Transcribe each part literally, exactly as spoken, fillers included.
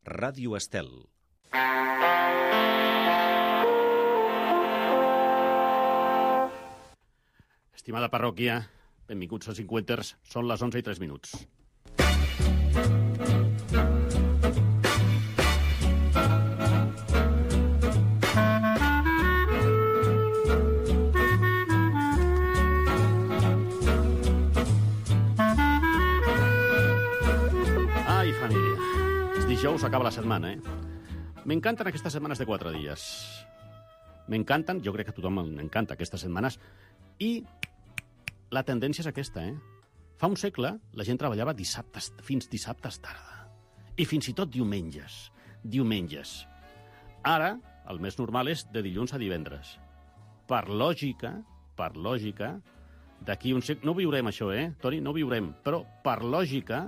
Ràdio Estel. Estimada parròquia, benvinguts als cinquanters, són les onze i tres minuts. Ai, família, és dijous, acaba la setmana, eh? M'encanten aquestes setmanes de quatre dies. M'encanten, jo crec que a tothom m'encanta aquestes setmanes, i la tendència és aquesta, eh? Fa un segle la gent treballava dissabtes, fins dissabtes tarda. I fins i tot diumenges. Diumenges. Ara, el més normal és de dilluns a divendres. Per lògica, per lògica, d'aquí un segle... No viurem això, eh, Toni? No viurem. Però, per lògica,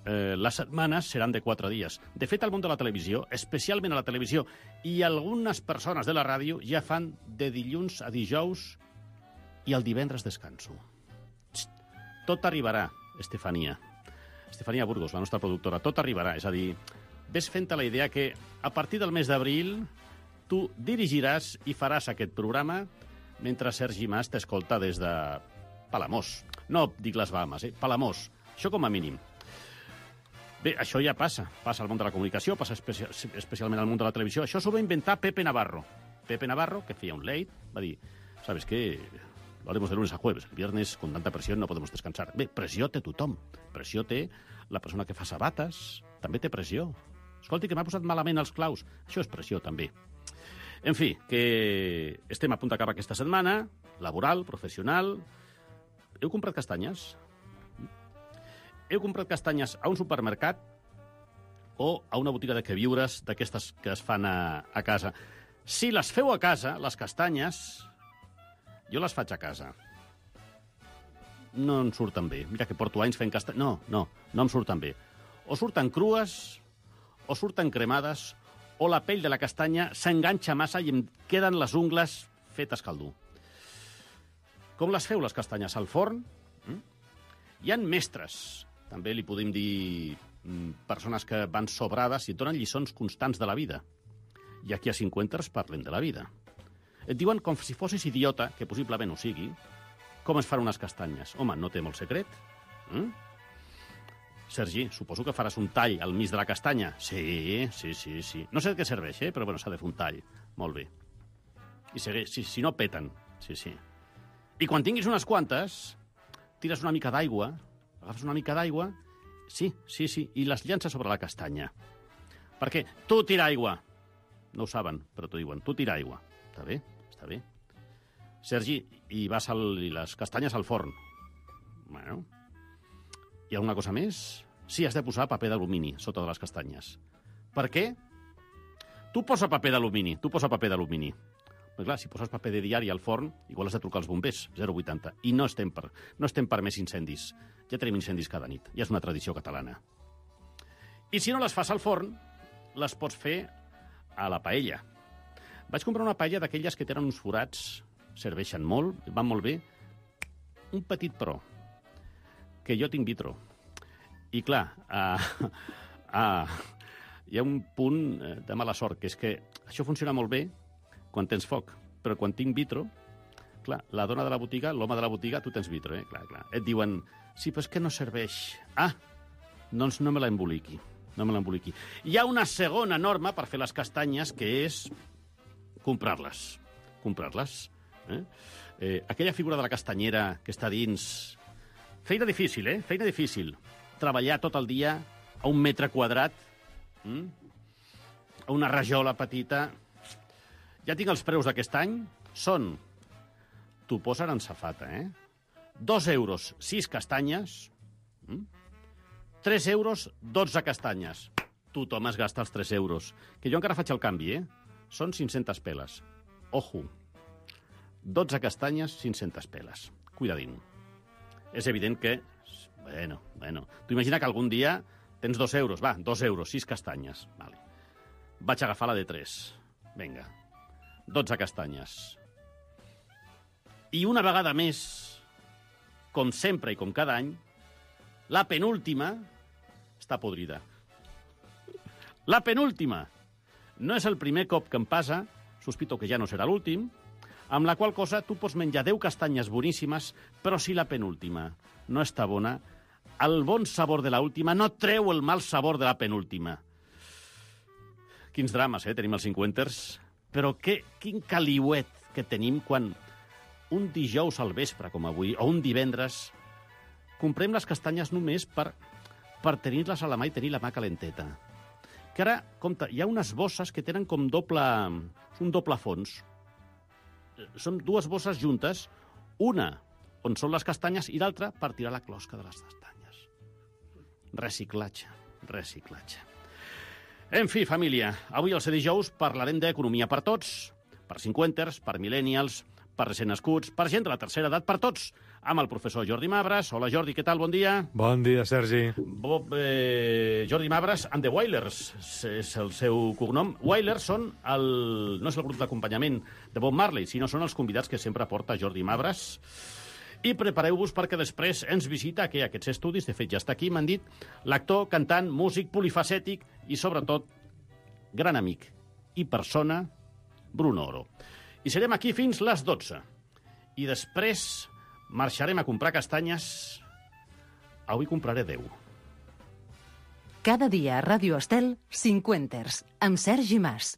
eh, les setmanes seran de quatre dies. De fet, al món de la televisió, especialment a la televisió, i algunes persones de la ràdio ja fan de dilluns a dijous i el divendres descanso. Tot arribarà, Estefania. Estefania Burgos, la nostra productora. Tot arribarà. És a dir, ves fent-te la idea que a partir del mes d'abril tu dirigiràs i faràs aquest programa mentre Sergi Mas t'escolta des de Palamós. No dic les Bahamas, eh? Palamós. Això com a mínim. Bé, això ja passa. Passa al món de la comunicació, passa especia especialment al món de la televisió. Això s'ho va inventar Pepe Navarro. Pepe Navarro, que feia un late, va dir, ¿sabes qué? Lo haremos de lunes a jueves. El viernes, con tanta presión, no podemos descansar. Bé, pressió té tothom. Pressió té la persona que fa sabates. També té pressió. Escolti, que m'ha posat malament els claus. Això és pressió, també. En fi, que estem a punt d'acabar aquesta setmana, laboral, professional. Heu comprat castanyes? Heu comprat castanyes a un supermercat o a una botiga de queviures d'aquestes que es fan a, a casa? Si les feu a casa, les castanyes... Jo les faig a casa. No em surten bé. Mira que porto anys fent castanyes. No, no, no em surten bé. O surten crues, o surten cremades, o la pell de la castanya s'enganxa massa i em queden les ungles fetes caldú. Com les feu, les castanyes? Al forn? Mm? Hi ha mestres, també li podem dir persones que van sobrades i et donen lliçons constants de la vida. I aquí a cinquanters parlem de la vida. Et diuen com si fossis idiota, que possiblement ho sigui, com es fan unes castanyes. Home, no té molt secret. Mm? Sergi, suposo que faràs un tall al mig de la castanya. Sí, sí, sí, sí. No sé de què serveix, eh? Però bueno, s'ha de fer un tall. Molt bé. I segueix, si, si no peten. Sí, sí. I quan tinguis unes quantes, tires una mica d'aigua, agafes una mica d'aigua, sí, sí, sí, i les llances sobre la castanya. Perquè tu tira aigua. No ho saben, però t'ho diuen. Tu tira aigua. Està bé, està bé. Sergi, i vas al, i les castanyes al forn. Bueno. Hi ha alguna cosa més? Sí, has de posar paper d'alumini sota de les castanyes. Per què? Tu posa paper d'alumini, tu posa paper d'alumini. Però clar, si poses paper de diari al forn, igual has de trucar als bombers, zero coma vuitanta. I no estem per, no estem per més incendis. Ja tenim incendis cada nit. Ja és una tradició catalana. I si no les fas al forn, les pots fer a la paella. Vaig comprar una paella d'aquelles que tenen uns forats, serveixen molt, van molt bé. Un petit però, que jo tinc vitro. I clar, uh, uh, hi ha un punt de mala sort, que és que això funciona molt bé quan tens foc, però quan tinc vitro, clar, la dona de la botiga, l'home de la botiga, tu tens vitro, eh? Clar, clar. Et diuen, sí, però és que no serveix. Ah, doncs no me l'emboliqui, no me l'emboliqui. Hi ha una segona norma per fer les castanyes, que és comprar-les. Comprar-les. Eh? Eh, aquella figura de la castanyera que està dins... Feina difícil, eh? Feina difícil. Treballar tot el dia a un metre quadrat, hm? A una rajola petita. Ja tinc els preus d'aquest any. Són... T'ho posen en safata, eh? Dos euros, sis castanyes. Hm? Tres euros, dotze castanyes. Tothom es gasta els tres euros. Que jo encara faig el canvi, eh? Són cinc-centes peles. Ojo. dotze castanyes, cinc-centes peles. Cuidadín. És evident que... Bueno, bueno. Tu imagina que algun dia tens dos euros. Va, dos euros, sis castanyes. Vale. Vaig agafar la de tres. Vinga. dotze castanyes. I una vegada més, com sempre i com cada any, la penúltima està podrida. La penúltima. No és el primer cop que em passa, sospito que ja no serà l'últim, amb la qual cosa tu pots menjar deu castanyes boníssimes, però si la penúltima no està bona, el bon sabor de l'última no treu el mal sabor de la penúltima. Quins drames, eh, tenim els cinquanters. Però que, quin caliuet que tenim quan un dijous al vespre, com avui, o un divendres, comprem les castanyes només per, per tenir-les a la mà i tenir la mà calenteta. Que ara, compte, hi ha unes bosses que tenen com doble, un doble fons. Són dues bosses juntes, una on són les castanyes i l'altra per tirar la closca de les castanyes. Reciclatge, reciclatge. En fi, família, avui al ser dijous parlarem d'economia per tots, per cinquanters, per millennials, per recent nascuts, per gent de la tercera edat, per tots, amb el professor Jordi Mabras. Hola, Jordi, què tal? Bon dia. Bon dia, Sergi. Bob, eh, Jordi Mabras and the Wailers és el seu cognom. Wailers són el, no és el grup d'acompanyament de Bob Marley, sinó són els convidats que sempre porta Jordi Mabras. I prepareu-vos perquè després ens visita aquí aquests estudis, de fet ja està aquí, m'han dit, l'actor, cantant, músic, polifacètic i, sobretot, gran amic i persona, Bruno Oro. I serem aquí fins les dotze. I després marxarem a comprar castanyes. Avui compraré deu. Cada dia a Ràdio Estel, cinquanters, amb Sergi Mas.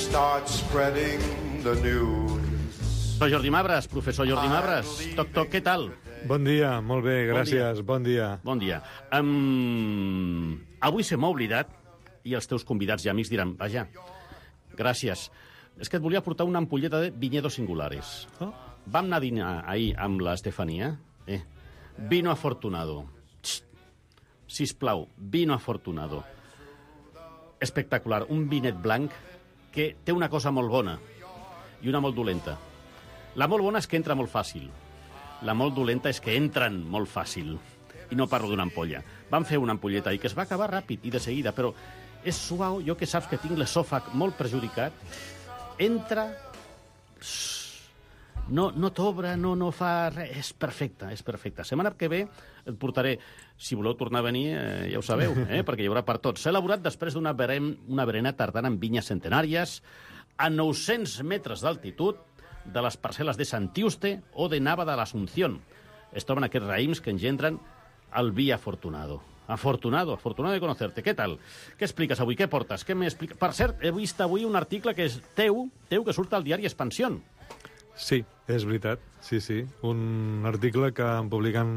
Start spreading the news. Professor Jordi Mabras, professor Jordi Mabras. Toc, toc, què tal? Bon dia, molt bé, gràcies, bon dia. Bon dia. Um, avui se m'ha oblidat, i els teus convidats i amics diran, vaja, gràcies. És que et volia portar una ampolleta de viñedos singulares. Oh. Vam anar a dinar ahir amb l'Estefania. Eh? Vino afortunado. Xxt. Sisplau, vino afortunado. Espectacular, un vinet blanc que té una cosa molt bona i una molt dolenta. La molt bona és que entra molt fàcil. La molt dolenta és que entren molt fàcil. I no parlo d'una ampolla. Vam fer una ampolleta i que es va acabar ràpid i de seguida, però és suau, jo que saps que tinc l'esòfag molt perjudicat, entra, no, no t'obre, no, no fa res, és perfecte, és perfecte. Setmana que ve et portaré, si voleu tornar a venir, eh, ja ho sabeu, eh, perquè hi haurà per tots. S'ha elaborat després d'una berem, una berena tardana amb vinyes centenàries, a nou-cents metres d'altitud, de les parcel·les de Santiuste o de Nava de l'Asunción. Es troben aquests raïms que engendren el vi afortunado. Afortunado, afortunado de conocerte. Què tal? Què expliques avui? Què portes? Què m'expliques? Per cert, he vist avui un article que és teu, teu que surt al diari Expansión. Sí, és veritat, sí, sí. Un article que em publiquen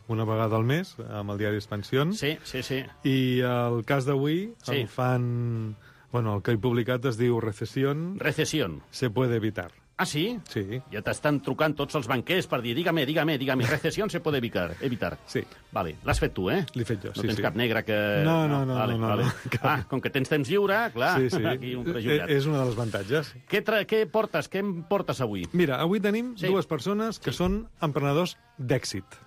una vegada al mes amb el diari Expansión. Sí, sí, sí. I el cas d'avui sí. el fan... Bueno, el que he publicat es diu Recesión. Recesión. Se puede evitar. Ah, sí? Sí. Ja t'estan trucant tots els banquers per dir, dígame, dígame, dígame, recesión se puede evitar. evitar. Sí. Vale, l'has fet tu, eh? L'he fet jo, no sí, tens sí. cap negre que... No, no, no, vale, no, no, vale. no. Ah, com que tens temps lliure, clar, sí, sí. aquí un prejudicat. És una de les avantatges. Què, tra... què portes? Què em portes avui? Mira, avui tenim sí. dues persones que sí. són emprenedors d'èxit.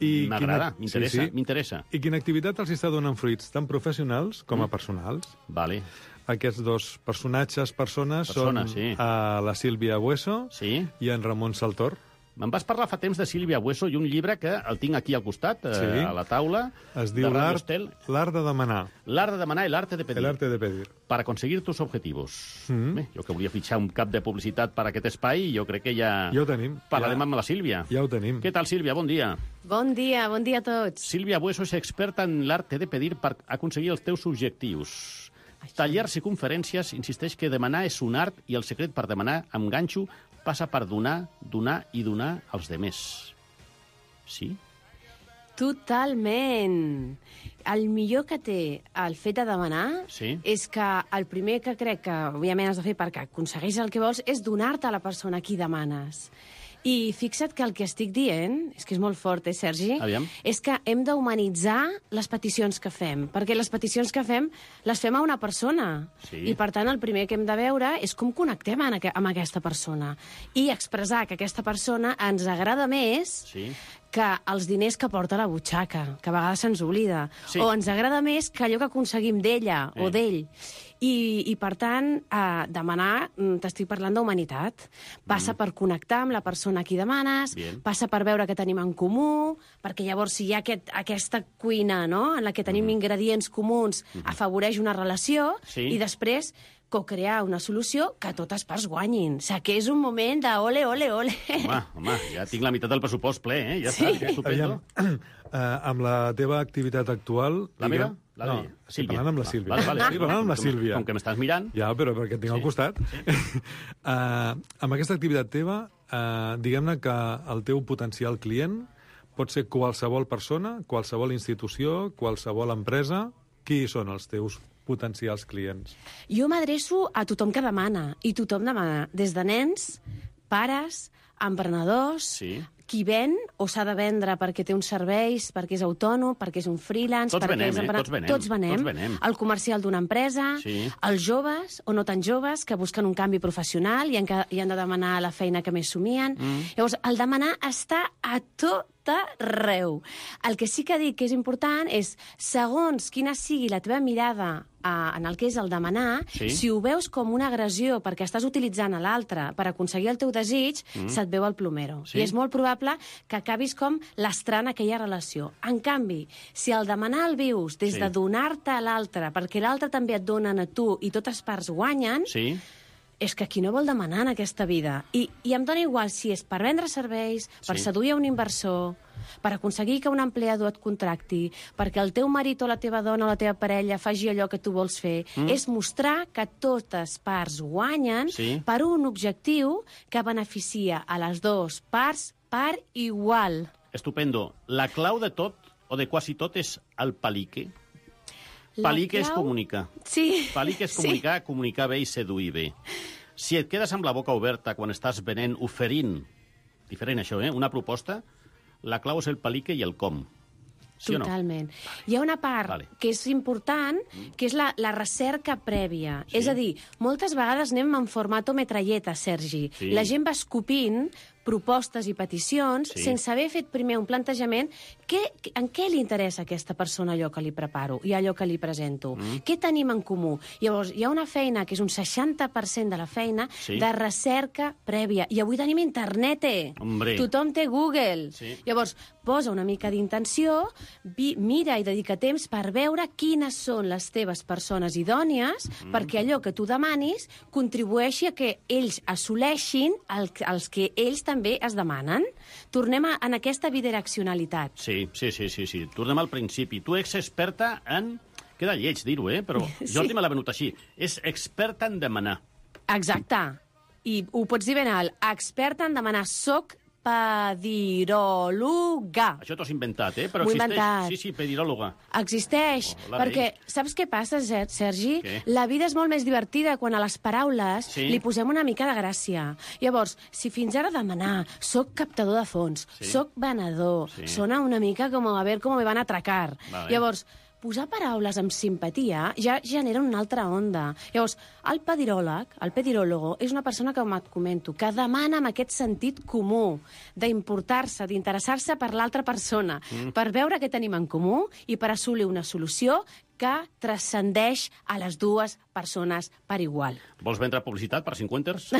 M'agrada, quina... m'interessa, sí, sí. m'interessa. I quina activitat els està donant fruits, tant professionals com a personals. Vale. Aquests dos personatges, persones, Persona, són sí. a la Sílvia Bueso sí. i en Ramon Saltor. Me'n vas parlar fa temps de Sílvia Bueso i un llibre que el tinc aquí al costat, sí. eh, a la taula. Es diu L'art de demanar. L'art de demanar i l'arte de pedir. El arte de pedir. Para conseguir tus objetivos. Mm. Bé, jo que volia fitxar un cap de publicitat per a aquest espai, jo crec que ja... Ja ho tenim. Parlarem ja... amb la Sílvia. Ja ho tenim. Què tal, Sílvia? Bon dia. Bon dia, bon dia a tots. Sílvia Bueso és experta en l'arte de pedir per aconseguir els teus objectius. Tallers i conferències insisteix que demanar és un art i el secret per demanar amb ganxo passa per donar, donar i donar als demés. Sí? Totalment. El millor que té el fet de demanar sí. és que el primer que crec que, òbviament, has de fer perquè aconsegueixis el que vols és donar-te a la persona a qui demanes. I fixa't que el que estic dient, és que és molt fort, eh, Sergi? Aviam. És que hem d'humanitzar les peticions que fem, perquè les peticions que fem les fem a una persona. Sí. I, per tant, el primer que hem de veure és com connectem amb, amb aquesta persona i expressar que aquesta persona ens agrada més sí. que els diners que porta a la butxaca, que a vegades se'ns oblida. Sí. O ens agrada més que allò que aconseguim d'ella eh. o d'ell. I, i per tant, eh, demanar, mm, t'estic parlant d'humanitat. Passa mm. per connectar amb la persona a qui demanes, Bien. passa per veure què tenim en comú, perquè llavors si hi ha aquest, aquesta cuina, no?, en la que tenim mm. ingredients comuns, mm. afavoreix una relació, Sí. i després co-crear una solució que totes parts guanyin. O sigui, que és un moment de ole, ole, ole. Home, home, ja tinc la meitat del pressupost ple, eh? Ja Sí. està, estupendo. Aviam, uh, amb la teva activitat actual... La meva? diguem- La no, de estic Sílvia. parlant amb la Ah, Sílvia. vale, vale. Estic parlant amb la Com- Sílvia. Com que m'estàs mirant. Ja, però perquè et tinc Sí. al costat. uh, amb aquesta activitat teva, uh, diguem-ne que el teu potencial client pot ser qualsevol persona, qualsevol institució, qualsevol empresa. Qui són els teus potencials clients? Jo m'adreço a tothom que demana, i tothom demana, des de nens, pares, emprenedors, Sí. qui ven o s'ha de vendre perquè té uns serveis, perquè és autònom, perquè és un freelance... Tots perquè venem, és eh? emprenedor. Tots venem, Tots venem. tots venem. El comercial d'una empresa, Sí. els joves o no tan joves que busquen un canvi professional i han, que, i han de demanar la feina que més somien. Mm. Llavors, el demanar està a tot arreu. El que sí que dic que és important és, segons quina sigui la teva mirada a, en el que és el demanar, Sí. si ho veus com una agressió perquè estàs utilitzant a l'altre per aconseguir el teu desig, mm. se't veu el plomero. Sí. I és molt probable que acabis com lastrant aquella relació. En canvi, si el demanar el vius des Sí. de donar-te a l'altre, perquè l'altre també et donen a tu i totes parts guanyen, Sí. és que qui no vol demanar en aquesta vida? I, i em dona igual si és per vendre serveis, per Sí. seduir a un inversor, per aconseguir que un empleador et contracti, perquè el teu marit o la teva dona o la teva parella faci allò que tu vols fer. Mm. És mostrar que totes parts guanyen Sí. per un objectiu que beneficia a les dues parts per igual. Estupendo. La clau de tot, o de quasi tot, és el palique. La Palique és clau- comunicar. Sí. Palique és comunicar, sí. comunicar bé i seduir bé. Si et quedes amb la boca oberta quan estàs venent, oferint, diferent això, eh? una proposta, la clau és el palique i el com. Sí Totalment. Hi ha una part Vale. que és important, que és la, la recerca prèvia. Sí. És a dir, moltes vegades anem en formato metralleta, Sergi. Sí. La gent va escopint propostes i peticions Sí. sense haver fet primer un plantejament que, en què li interessa a aquesta persona allò que li preparo i allò que li presento. Mm. Què tenim en comú? Llavors, hi ha una feina que és un seixanta per cent de la feina Sí. de recerca prèvia. I avui tenim internet, eh? Hombre. Tothom té Google. Sí. Llavors, posa una mica d'intenció, vi- mira i dedica temps per veure quines són les teves persones idònies mm. perquè allò que tu demanis contribueixi a que ells assoleixin el, els que ells també es demanen. Tornem a, en aquesta bidireccionalitat. Sí, sí, sí, sí, sí. Tornem al principi. Tu ets experta en... Queda lleig dir-ho, eh? Però Sí. jo sí. me l'ha venut així. És experta en demanar. Exacte. I ho pots dir ben alt. Experta en demanar. Soc pediròloga. Això t'ho has inventat, eh? Però M'ho he existeix. inventat. Sí, sí, pediròloga. Existeix, Oh, la perquè veig. saps què passa, Ser- Sergi? Què? La vida és molt més divertida quan a les paraules Sí. li posem una mica de gràcia. Llavors, si fins ara demanar soc captador de fons, Sí. soc venedor, Sí. sona una mica com a ver com me van a atracar. Vale. Llavors, posar paraules amb simpatia ja genera una altra onda. Llavors, el pediròleg, el pediròlogo, és una persona que, com et comento, que demana amb aquest sentit comú d'importar-se, d'interessar-se per l'altra persona, mm. per veure què tenim en comú i per assolir una solució que transcendeix a les dues persones per igual. Vols vendre publicitat per cinquanters? No,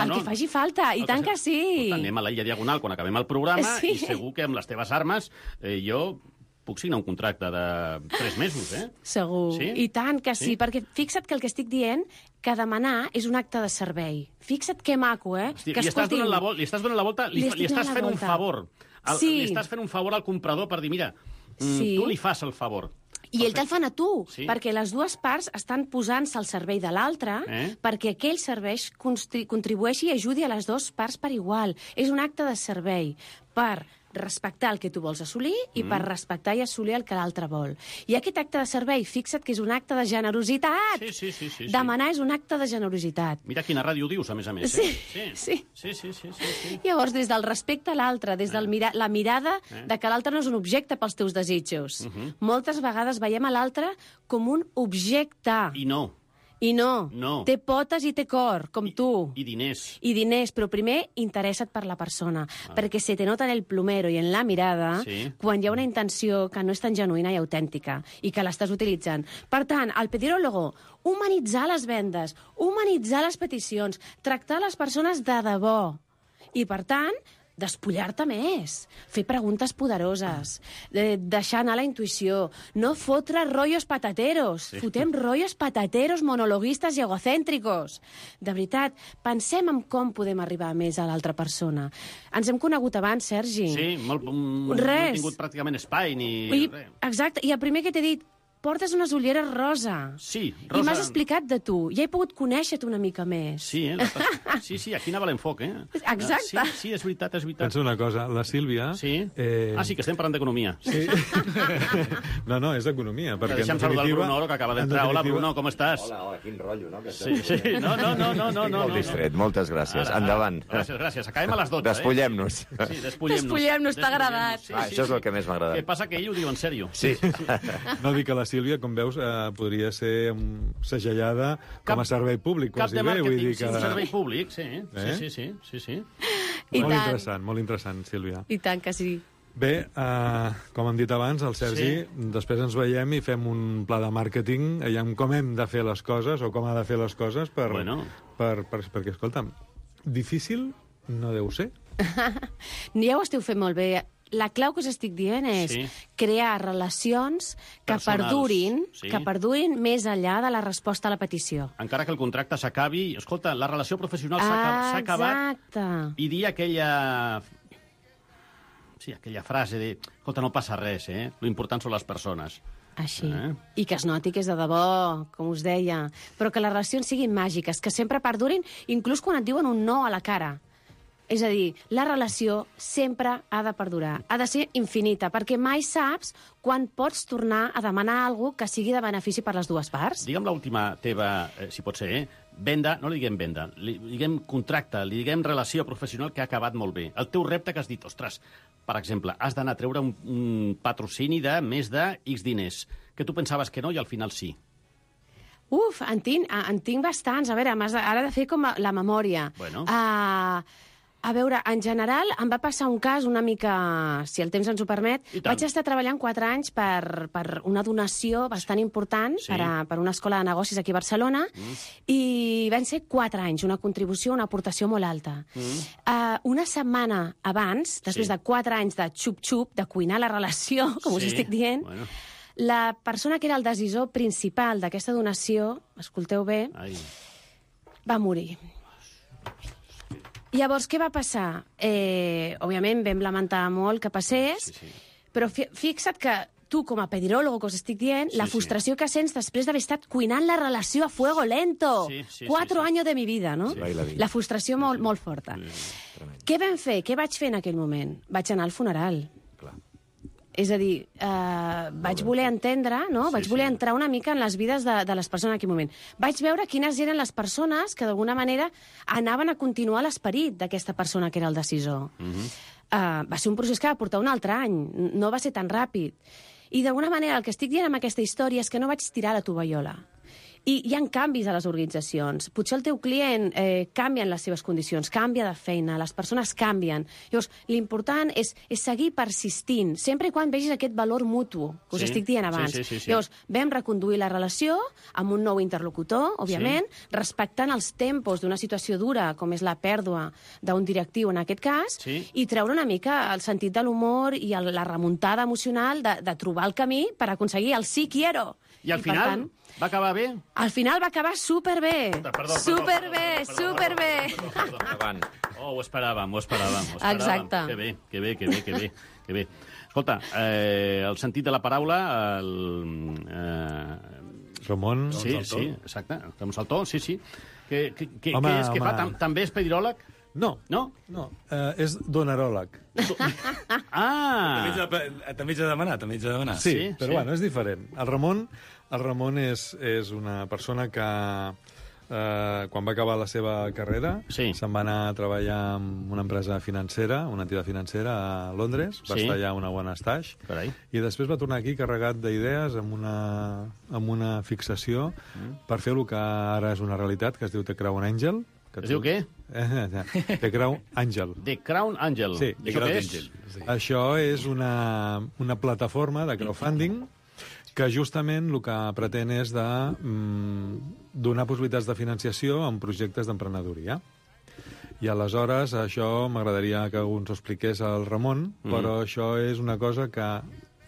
el no. que faci falta, i El tant que, que sí. Escolta, anem a l'illa diagonal quan acabem el programa Sí. i segur que amb les teves armes eh, jo puc signar un contracte de tres mesos, eh? Segur. Sí? I tant que sí, Sí? perquè fixa't que el que estic dient, que demanar és un acte de servei. Fixa't que maco, eh? Hosti, que li, estàs donant la vol li estàs donant la volta, li, Li li, estic estàs donant la fent un volta. favor. El, Sí. Li estàs fent un favor al comprador per dir, mira, mm, Sí. tu li fas el favor. I ell te'l fan a tu, Sí. perquè les dues parts estan posant-se al servei de l'altre Eh? perquè aquell servei constri- contribueixi i ajudi a les dues parts per igual. És un acte de servei per respectar el que tu vols assolir i mm. per respectar i assolir el que l'altre vol. I aquest acte de servei, fixa't que és un acte de generositat. Sí, sí, sí, sí, sí. Demanar és un acte de generositat. Mira quina ràdio dius, a més a més. Sí, Eh? sí. Sí, sí, sí, sí, sí. Llavors, des del respecte a l'altre, des de mira la mirada Eh? de que l'altre no és un objecte pels teus desitjos. Uh -huh. Moltes vegades veiem a l'altre com un objecte. I no. I no, No. té potes i té cor, com tu. I diners. I diners, però primer interessa't per la persona, ah. perquè se te nota en el plumero i en la mirada Sí. quan hi ha una intenció que no és tan genuïna i autèntica i que l'estàs utilitzant. Per tant, el pedirólogo, humanitzar les vendes, humanitzar les peticions, tractar les persones de debò. I, per tant, despullar-te més, fer preguntes poderoses, de deixar anar la intuïció, no fotre rollos patateros, sí. fotem rollos patateros monologuistes i egocèntricos. De veritat, pensem en com podem arribar més a l'altra persona. Ens hem conegut abans, Sergi. Sí, molt, mm, Res. no he tingut pràcticament espai ni... I, res. exacte, i el primer que t'he dit, portes unes ulleres rosa. Sí, I rosa. m'has explicat de tu. Ja he pogut conèixer-te una mica més. Sí, eh? La... sí, sí, aquí anava l'enfoc, eh? Exacte. Sí, sí, és veritat, és veritat. Pensa una cosa, la Sílvia... Sí? Eh... Ah, sí, que estem parlant d'economia. Sí. no, no, és economia. Perquè Deixa'm en saludar el definitiva- Bruno, que acaba en d'entrar. Hola, definitiva- Bruno, com estàs? Hola, hola, quin rotllo, no? Que Sí, sí. No, no, no, no, no, no. Molt no. distret, moltes gràcies. Ara, Endavant. Gràcies, gràcies. Acabem a les dotze, Despullem-nos. eh? Sí, despullem-nos. Despullem-nos, t'ha agradat. Sí, Ah, sí, això és sí. el que més m'ha agradat. Què passa? Que ell ho diu en sèrio. Sí. No dic que la Sílvia, com veus, eh, podria ser um, segellada com a servei públic, Cap quasi de bé. Vull màrqueting, dir sí, que... un servei públic, sí. Eh? Sí, sí, sí, sí, sí. I molt tant. interessant, molt interessant, Sílvia. I tant que sí. Bé, eh, com hem dit abans, el Sergi, sí. després ens veiem i fem un pla de màrqueting, aviam com hem de fer les coses o com ha de fer les coses per, Bueno. per, per, perquè, escolta'm, difícil no deu ser. Ja ho esteu fent molt bé. La clau que us estic dient és Sí. crear relacions que Personals, perdurin, sí. que perdurin més enllà de la resposta a la petició. Encara que el contracte s'acabi... Escolta, la relació professional s'ha acabat- s'ha acabat Exacte. i dir aquella... Sí, aquella frase de... Escolta, no passa res, eh? Lo important són les persones. Així. Eh? I que es noti que és de debò, com us deia. Però que les relacions siguin màgiques, que sempre perdurin, inclús quan et diuen un no a la cara. És a dir, la relació sempre ha de perdurar, ha de ser infinita, perquè mai saps quan pots tornar a demanar alguna que sigui de benefici per les dues parts. Digue'm l'última teva, eh, si pot ser, eh? Venda, no li diguem venda, li diguem contracte, li diguem relació professional que ha acabat molt bé. El teu repte que has dit, ostres, per exemple, has d'anar a treure un, un patrocini de més de X diners, que tu pensaves que no i al final sí. Uf, en tinc, en tinc bastants. A veure, m'has de- ara he de fer com a- la memòria. Bueno. Uh, a veure, en general, em va passar un cas una mica, si el temps ens ho permet. I tant. Vaig estar treballant quatre anys per, per una donació bastant important Sí. per, a, per una escola de negocis aquí a Barcelona, mm. i van ser quatre anys, una contribució, una aportació molt alta. Mm. Uh, una setmana abans, després Sí. de quatre anys de xup-xup, de cuinar la relació, com us Sí. estic dient, Bueno. la persona que era el decisor principal d'aquesta donació, escolteu bé, Ai. va morir. Llavors, què va passar? Eh, òbviament, vam lamentar molt que passés, Sí, sí. però fi fixa't que tu, com a pediròlogo, que us estic dient, Sí, la sí. frustració que sents després d'haver estat cuinant la relació a fuego lento. Sí, sí, Cuatro sí, sí. años de mi vida, no? Sí. Va i la vida. La frustració molt, molt forta. Què vam fer? Què vaig fer en aquell moment? Vaig anar al funeral. Clar. És a dir, eh, vaig voler entendre, no? Sí, vaig voler sí. entrar una mica en les vides de, de les persones en aquell moment. Vaig veure quines eren les persones que d'alguna manera anaven a continuar l'esperit d'aquesta persona que era el decisor. Mhm. uh, va ser un procés que va portar un altre any, no va ser tan ràpid. I d'alguna manera el que estic dient amb aquesta història és que no vaig tirar la tovallola. I hi ha canvis a les organitzacions. Potser el teu client eh, canvia en les seves condicions, canvia de feina, les persones canvien. Llavors, l'important és, és seguir persistint, sempre i quan vegis aquest valor mutu, que us Sí, estic dient sí, abans. sí, sí, sí. Llavors, vam reconduir la relació amb un nou interlocutor, òbviament, sí. respectant els tempos d'una situació dura, com és la pèrdua d'un directiu en aquest cas, Sí. i treure una mica el sentit de l'humor i el, la remuntada emocional de, de trobar el camí per aconseguir el sí quiero. I al per final tant, va acabar bé? al final va acabar superbé. Perdó, perdó, Superbé, perdó, perdó, superbé. perdó, perdó, perdó. Endavant. Oh, ho esperàvem, ho esperàvem. Ho esperàvem. Exacte. Que bé, que bé, que bé, que bé. Que bé. Escolta, eh, el sentit de la paraula... El, eh, Ramon... sí, sí, exacte. Fem saltó, sí, sí. Que, que, que, Home, què és que home. fa? Tam, també és pediròleg? No, No? no, eh, és donaròleg. Ah! També ets de, també ets de demanar, també ets de demanar. Sí, sí, però sí. bueno, és diferent. El Ramon, el Ramon és, és una persona que eh, quan va acabar la seva carrera, Sí. se'n va anar a treballar en una empresa financera, una entitat financera a Londres, va Sí. estar allà una bona estaix, Carai. i després va tornar aquí carregat d'idees amb, una, amb una fixació mm. per fer el que ara és una realitat, que es diu The Crown Angel. Que Es diu què? Eh, eh, The Crown Angel. The Crown Angel. Sí. I això què és? Sí. Això és una, una plataforma de crowdfunding que justament el que pretén és de mm, donar possibilitats de financiació en projectes d'emprenedoria. I aleshores això m'agradaria que ens ho expliqués el Ramon, mm. però això és una cosa que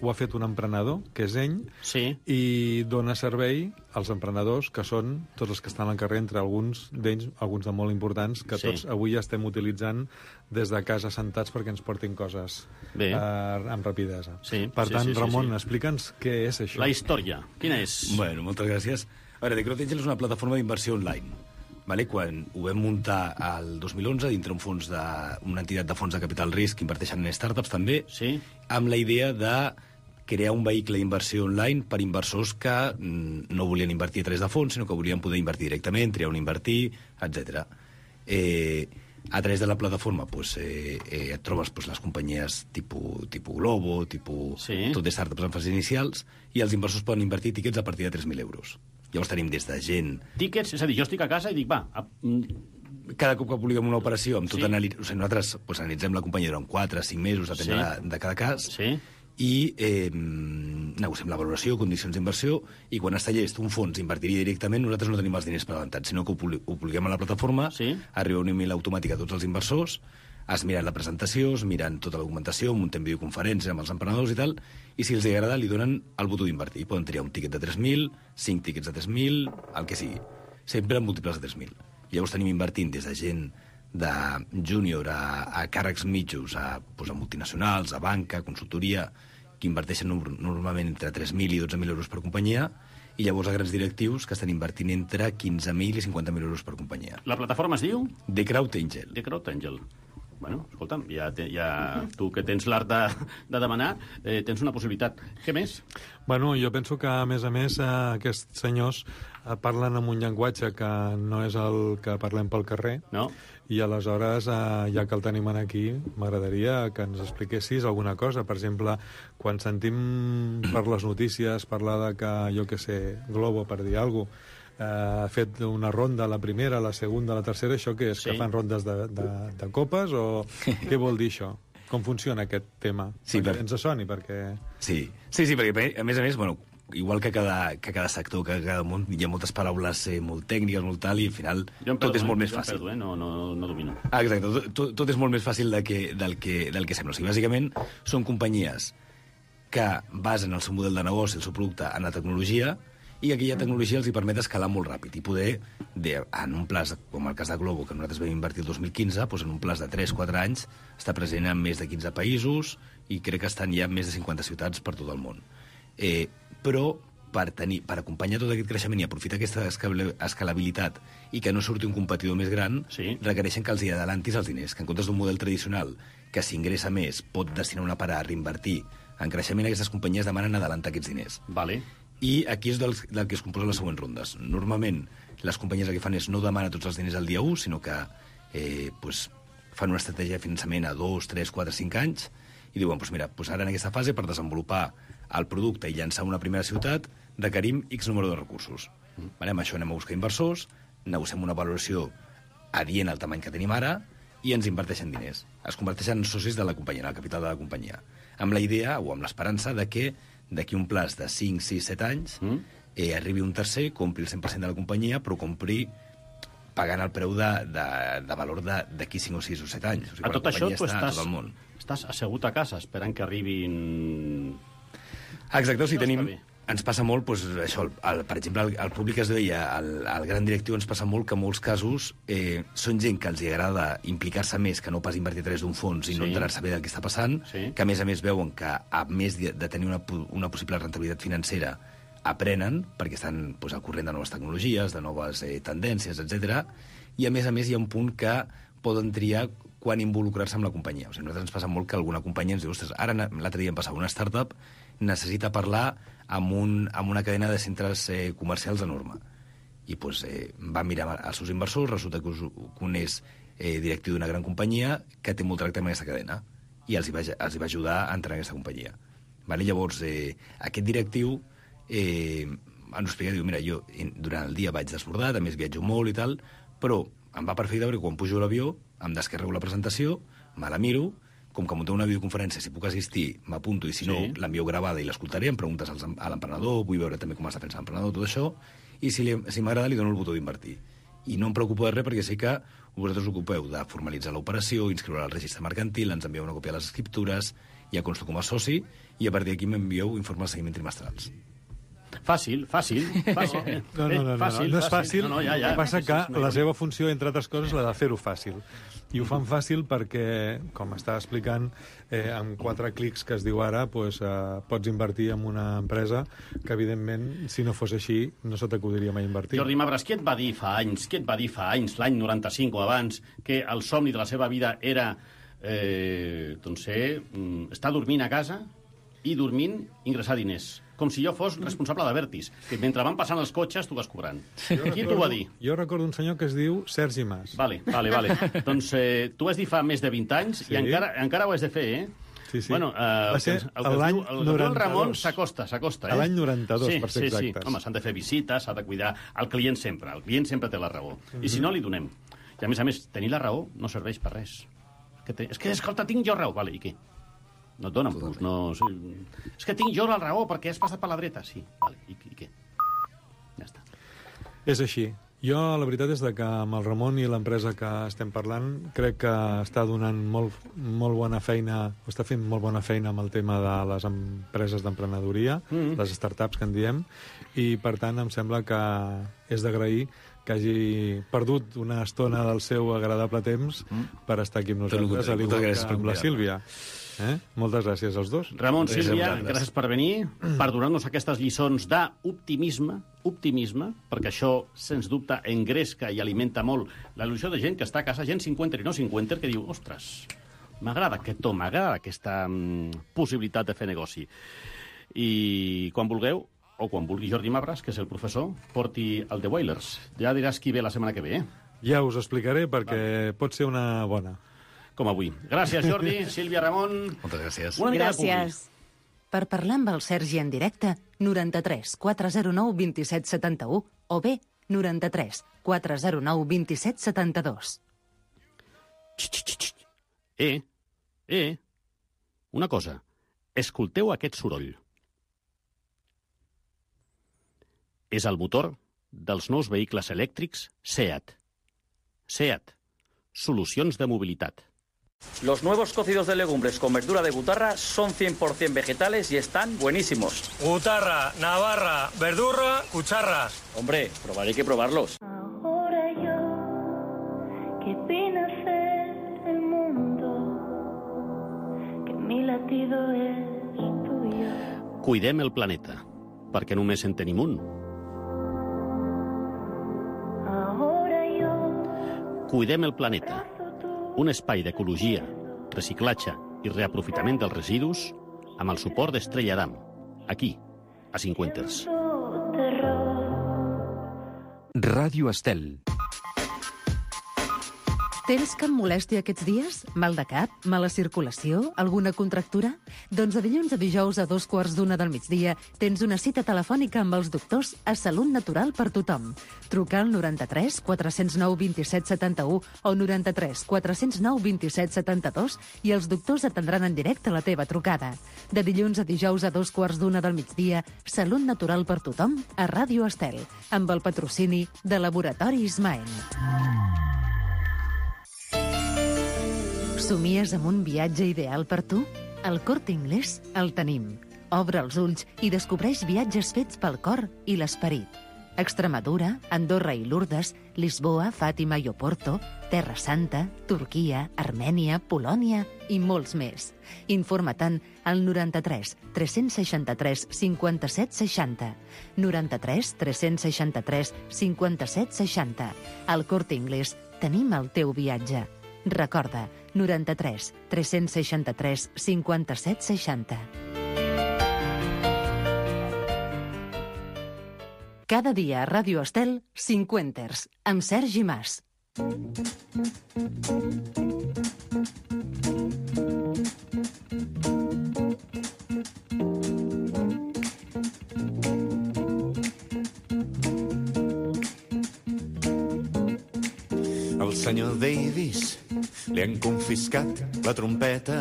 ho ha fet un emprenedor, que és ell, Sí. i dona servei als emprenedors, que són tots els que estan al carrer, entre alguns d'ells, alguns de molt importants, que Sí. tots avui estem utilitzant des de casa sentats perquè ens portin coses Bé. eh, amb rapidesa. Sí, Per sí, tant, sí, sí, Ramon, sí. explica'ns què és això. La història. Quina és? Bueno, moltes gràcies. A veure, The Crowd Angel és una plataforma d'inversió online. Vale? Quan ho vam muntar el dos mil onze dintre un fons de, una entitat de fons de capital risc que inverteixen en startups també, Sí. amb la idea de crear un vehicle d'inversió online per inversors que mm, no volien invertir a través de fons, sinó que volien poder invertir directament, triar on invertir, etcètera. Eh, a través de la plataforma pues, eh, eh, et trobes pues, les companyies tipus, tipus Globo, tipus, Sí. tot de startups en fases inicials, i els inversors poden invertir tíquets a partir de tres mil euros. Llavors tenim des de gent... Tíquets, és a dir, jo estic a casa i dic, va, a, mm, Cada cop que publiquem una operació, amb tot Sí. anali... o sigui, nosaltres pues, analitzem la companyia durant quatre cinc mesos, depèn Sí. de, de cada cas, sí, i eh, negociem la valoració, condicions d'inversió, i quan està llest un fons invertiria directament, nosaltres no tenim els diners presentats, sinó que ho, publi ho publiquem a la plataforma, Sí. arriba un email automàtic a tots els inversors, es miren la presentació, es miren tota la documentació, muntem videoconferències amb els emprenedors i tal, i si els agrada li donen el botó d'invertir. Poden triar un tiquet de tres mil, cinc tiquets de tres mil, el que sigui. Sempre en múltiples de tres mil. Llavors tenim invertint des de gent de júnior a, a càrrecs mitjos, a, doncs, a multinacionals, a banca, a consultoria, que inverteixen normalment entre tres mil i dotze mil euros per companyia, i llavors a grans directius que estan invertint entre quinze mil i cinquanta mil euros per companyia. la plataforma es diu The Crowd Angel. The Crowd Angel. Bueno, escolta'm, ja, te, ja tu que tens l'art de, de demanar, eh, tens una possibilitat. Què més? Bueno, jo penso que, a més a més, eh, aquests senyors eh, parlen amb un llenguatge que no és el que parlem pel carrer, No? i aleshores, eh, ja que el tenim aquí, m'agradaria que ens expliquessis alguna cosa. Per exemple, quan sentim per les notícies parlar de que, jo que sé, Globo, per dir alguna cosa, eh, ha fet una ronda, la primera, la segona, la tercera, això què és? Sí. Que fan rondes de, de, de copes o què vol dir això? Com funciona aquest tema? Sí, perquè per- ens soni, perquè... Sí, sí, sí, perquè a més a més, bueno, igual que cada, que cada sector, que cada món, hi ha moltes paraules eh, molt tècniques, molt tal, i al final Jo em tot perdo, és molt eh? més Jo em fàcil. Perdo, eh? no, no, no domino. Ah, exacte, tot, tot, tot és molt més fàcil de que, del, que, del que sembla. O sigui, bàsicament, són companyies que basen el seu model de negoci, el seu producte, en la tecnologia, i aquella tecnologia els hi permet escalar molt ràpid i poder, de, en un plaç, com el cas de Globo, que nosaltres vam invertir el dos mil quinze, doncs en un plaç de tres quatre anys, està present en més de quinze països i crec que estan ja en més de cinquanta ciutats per tot el món. Eh, però per, tenir, per acompanyar tot aquest creixement i aprofitar aquesta escalabilitat i que no surti un competidor més gran, Sí. requereixen que els hi adelantis els diners, que en comptes d'un model tradicional que s'ingressa més pot destinar una part a reinvertir en creixement, aquestes companyies demanen adelantar aquests diners. Vale. I aquí és del, del que es composen les següents rondes. Normalment, les companyies el que fan és no demanar tots els diners al dia u, sinó que eh, pues, fan una estratègia de finançament a dos, tres, quatre, cinc anys i diuen, pues mira, pues ara en aquesta fase, per desenvolupar el producte i llançar una primera ciutat, requerim X número de recursos. Mm. Vale, amb això anem a buscar inversors, negociem una valoració adient al tamany que tenim ara i ens inverteixen diners. Es converteixen en socis de la companyia, en el capital de la companyia. Amb la idea o amb l'esperança de que d'aquí un plaç de cinc, sis, set anys mm. eh, arribi un tercer, compri el cent per cent de la companyia, però compri pagant el preu de, de, de valor d'aquí cinc o sis o set anys. O sigui, A tot això tu està a estàs, tot el món. estàs assegut a casa esperant que arribin... Exacte, o sigui, Això està tenim... bé. Ens passa molt, doncs, això, el, el, per exemple, el, el públic es deia, el, el gran directiu ens passa molt que en molts casos eh, són gent que els hi agrada implicar-se més que no pas invertir a través d'un fons i Sí. no enterar-se bé del que està passant, Sí. que a més a més veuen que a més de, de tenir una, pu- una possible rentabilitat financera aprenen, perquè estan doncs, al corrent de noves tecnologies, de noves eh, tendències, etcètera. I a més a més hi ha un punt que poden triar quan involucrar-se amb la companyia. O sigui, a nosaltres ens passa molt que alguna companyia ens diu, ostres, ara l'altre dia em passava una startup, necessita parlar amb, un, amb una cadena de centres eh, comercials enorme. i pues, eh, va mirar als seus inversors, resulta que un és eh, directiu d'una gran companyia que té molt tracte amb aquesta cadena, i els hi va, els hi va ajudar a entrar en aquesta companyia. Vale? Llavors, eh, aquest directiu eh, ens explica, diu, mira, jo durant el dia vaig desbordat, a més viatjo molt i tal, però em va perfecte perquè quan pujo a l'avió em descarrego la presentació, me la miro, com que munteu una videoconferència, si puc assistir, m'apunto, i si no, sí. l'envio gravada i l'escoltaré, em preguntes als, a l'emprenedor, vull veure també com està fent l'emprenedor, tot això, i si, li, si m'agrada li dono el botó d'invertir. I no em preocupo de res perquè sé que vosaltres us ocupeu de formalitzar l'operació, inscriure al registre mercantil, ens envieu una còpia de les escriptures, ja consto com a soci, i a partir d'aquí m'envieu informes de seguiment trimestrals. Fàcil, fàcil, fàcil. No, no, no, fàcil, no, no és fàcil. No, no, ja, ja. El que passa que la seva funció, entre altres coses, la de fer-ho fàcil. I ho fan fàcil perquè, com està explicant, eh, amb quatre clics que es diu ara, pues, eh, pots invertir en una empresa que, evidentment, si no fos així, no se t'acudiria mai invertir. Jordi Mabras, què et va dir fa anys, què et va dir fa anys, l'any noranta-cinc o abans, que el somni de la seva vida era eh, doncs, ser, estar dormint a casa i dormint ingressar diners? Com si jo fos responsable d'Avertis, que mentre van passant els cotxes tu vas cobrant. Qui t'ho va dir? Jo recordo un senyor que es diu Sergi Mas. Vale, vale, vale. Doncs eh, tu vas dir fa més de vint anys sí. i encara, encara ho has de fer, eh? Sí, sí. Bueno, eh, va ser el que, el l'any el, el, el Ramon s'acosta, s'acosta. Eh? L'any noranta-dos, sí, per ser sí, exactes. Sí. Home, s'han de fer visites, s'ha de cuidar el client sempre. El client sempre té la raó. Mm-hmm. I si no, li donem. I a més a més, tenir la raó no serveix per res. Que te... És que, escolta, tinc jo raó. Vale, i què? No et donen plus, no... És que tinc jo la raó perquè has passat per la dreta. Sí, vale, i, i què? Ja està. És així. Jo, la veritat és que amb el Ramon i l'empresa que estem parlant, crec que està donant molt, molt bona feina, o està fent molt bona feina amb el tema de les empreses d'emprenedoria, mm-hmm. les startups que en diem, i per tant em sembla que és d'agrair que hagi perdut una estona del seu agradable temps mm. per estar aquí amb nosaltres, a l'igual que amb la Sílvia. Eh? Moltes gràcies als dos. Ramon, Sílvia, gràcies per venir, per donar-nos aquestes lliçons d'optimisme, optimisme, perquè això, sens dubte, engresca i alimenta molt la il·lusió de gent que està a casa, gent cinquanta i no cinquanta, que diu, ostres, m'agrada aquest to, m'agrada aquesta mm, possibilitat de fer negoci. I quan vulgueu, o quan vulgui Jordi Mabras, que és el professor, porti el The Wailers. Ja diràs qui ve la setmana que ve, eh? Ja us explicaré, perquè vale. Pot ser una bona. Com avui. Gràcies, Jordi, Sílvia, Ramon. Moltes gràcies. Una mica gràcies. Per parlar amb el Sergi en directe, noranta-tres quatre zero nou vint set setanta-u o bé noranta-tres quatre zero nou vint set setanta-dos. Eh, eh, una cosa. Escolteu aquest soroll. És el motor dels nous vehicles elèctrics SEAT. SEAT. Solucions de mobilitat. Los nuevos cocidos de legumbres con verdura de Butarra son cien por cien vegetales y están buenísimos. Butarra, Navarra, verdurra, cucharras. Hombre, probar hay que probarlos. Ahora yo, que vine a ser el mundo, que mi latido es tuyo. Cuidem el planeta, perquè només en tenim un. Ahora yo, Cuidem el planeta. Un espai d'ecologia, reciclatge i reaprofitament dels residus amb el suport d'Estrella Damm, aquí, a Cinquenters. Ràdio Estel. Tens cap molèstia aquests dies? Mal de cap? Mala circulació? Alguna contractura? Doncs de dilluns a dijous a dos quarts d'una del migdia tens una cita telefònica amb els doctors a Salut Natural per tothom. Truca al noranta-tres quatre zero nou vint set setanta-u o noranta-tres quatre zero nou vint set setanta-dos i els doctors atendran en directe la teva trucada. De dilluns a dijous a dos quarts d'una del migdia, Salut Natural per tothom a Ràdio Estel, amb el patrocini de Laboratori Ismael. Somies amb un viatge ideal per tu? Al Corte Inglés el tenim. Obre els ulls i descobreix viatges fets pel cor i l'esperit. Extremadura, Andorra i Lourdes, Lisboa, Fàtima i Oporto, Terra Santa, Turquia, Armènia, Polònia i molts més. Informa-te'n al noranta-tres tres seixanta-tres cinquanta-set seixanta. noranta-tres tres seixanta-tres cinquanta-set seixanta. Al Corte Inglés tenim el teu viatge. Recorda, noranta-tres tres seixanta-tres cinquanta-set seixanta. Cada Cada dia a Ràdio Estel, Cinquenters, amb Sergi Mas. Al senyor Davis li han confiscat la trompeta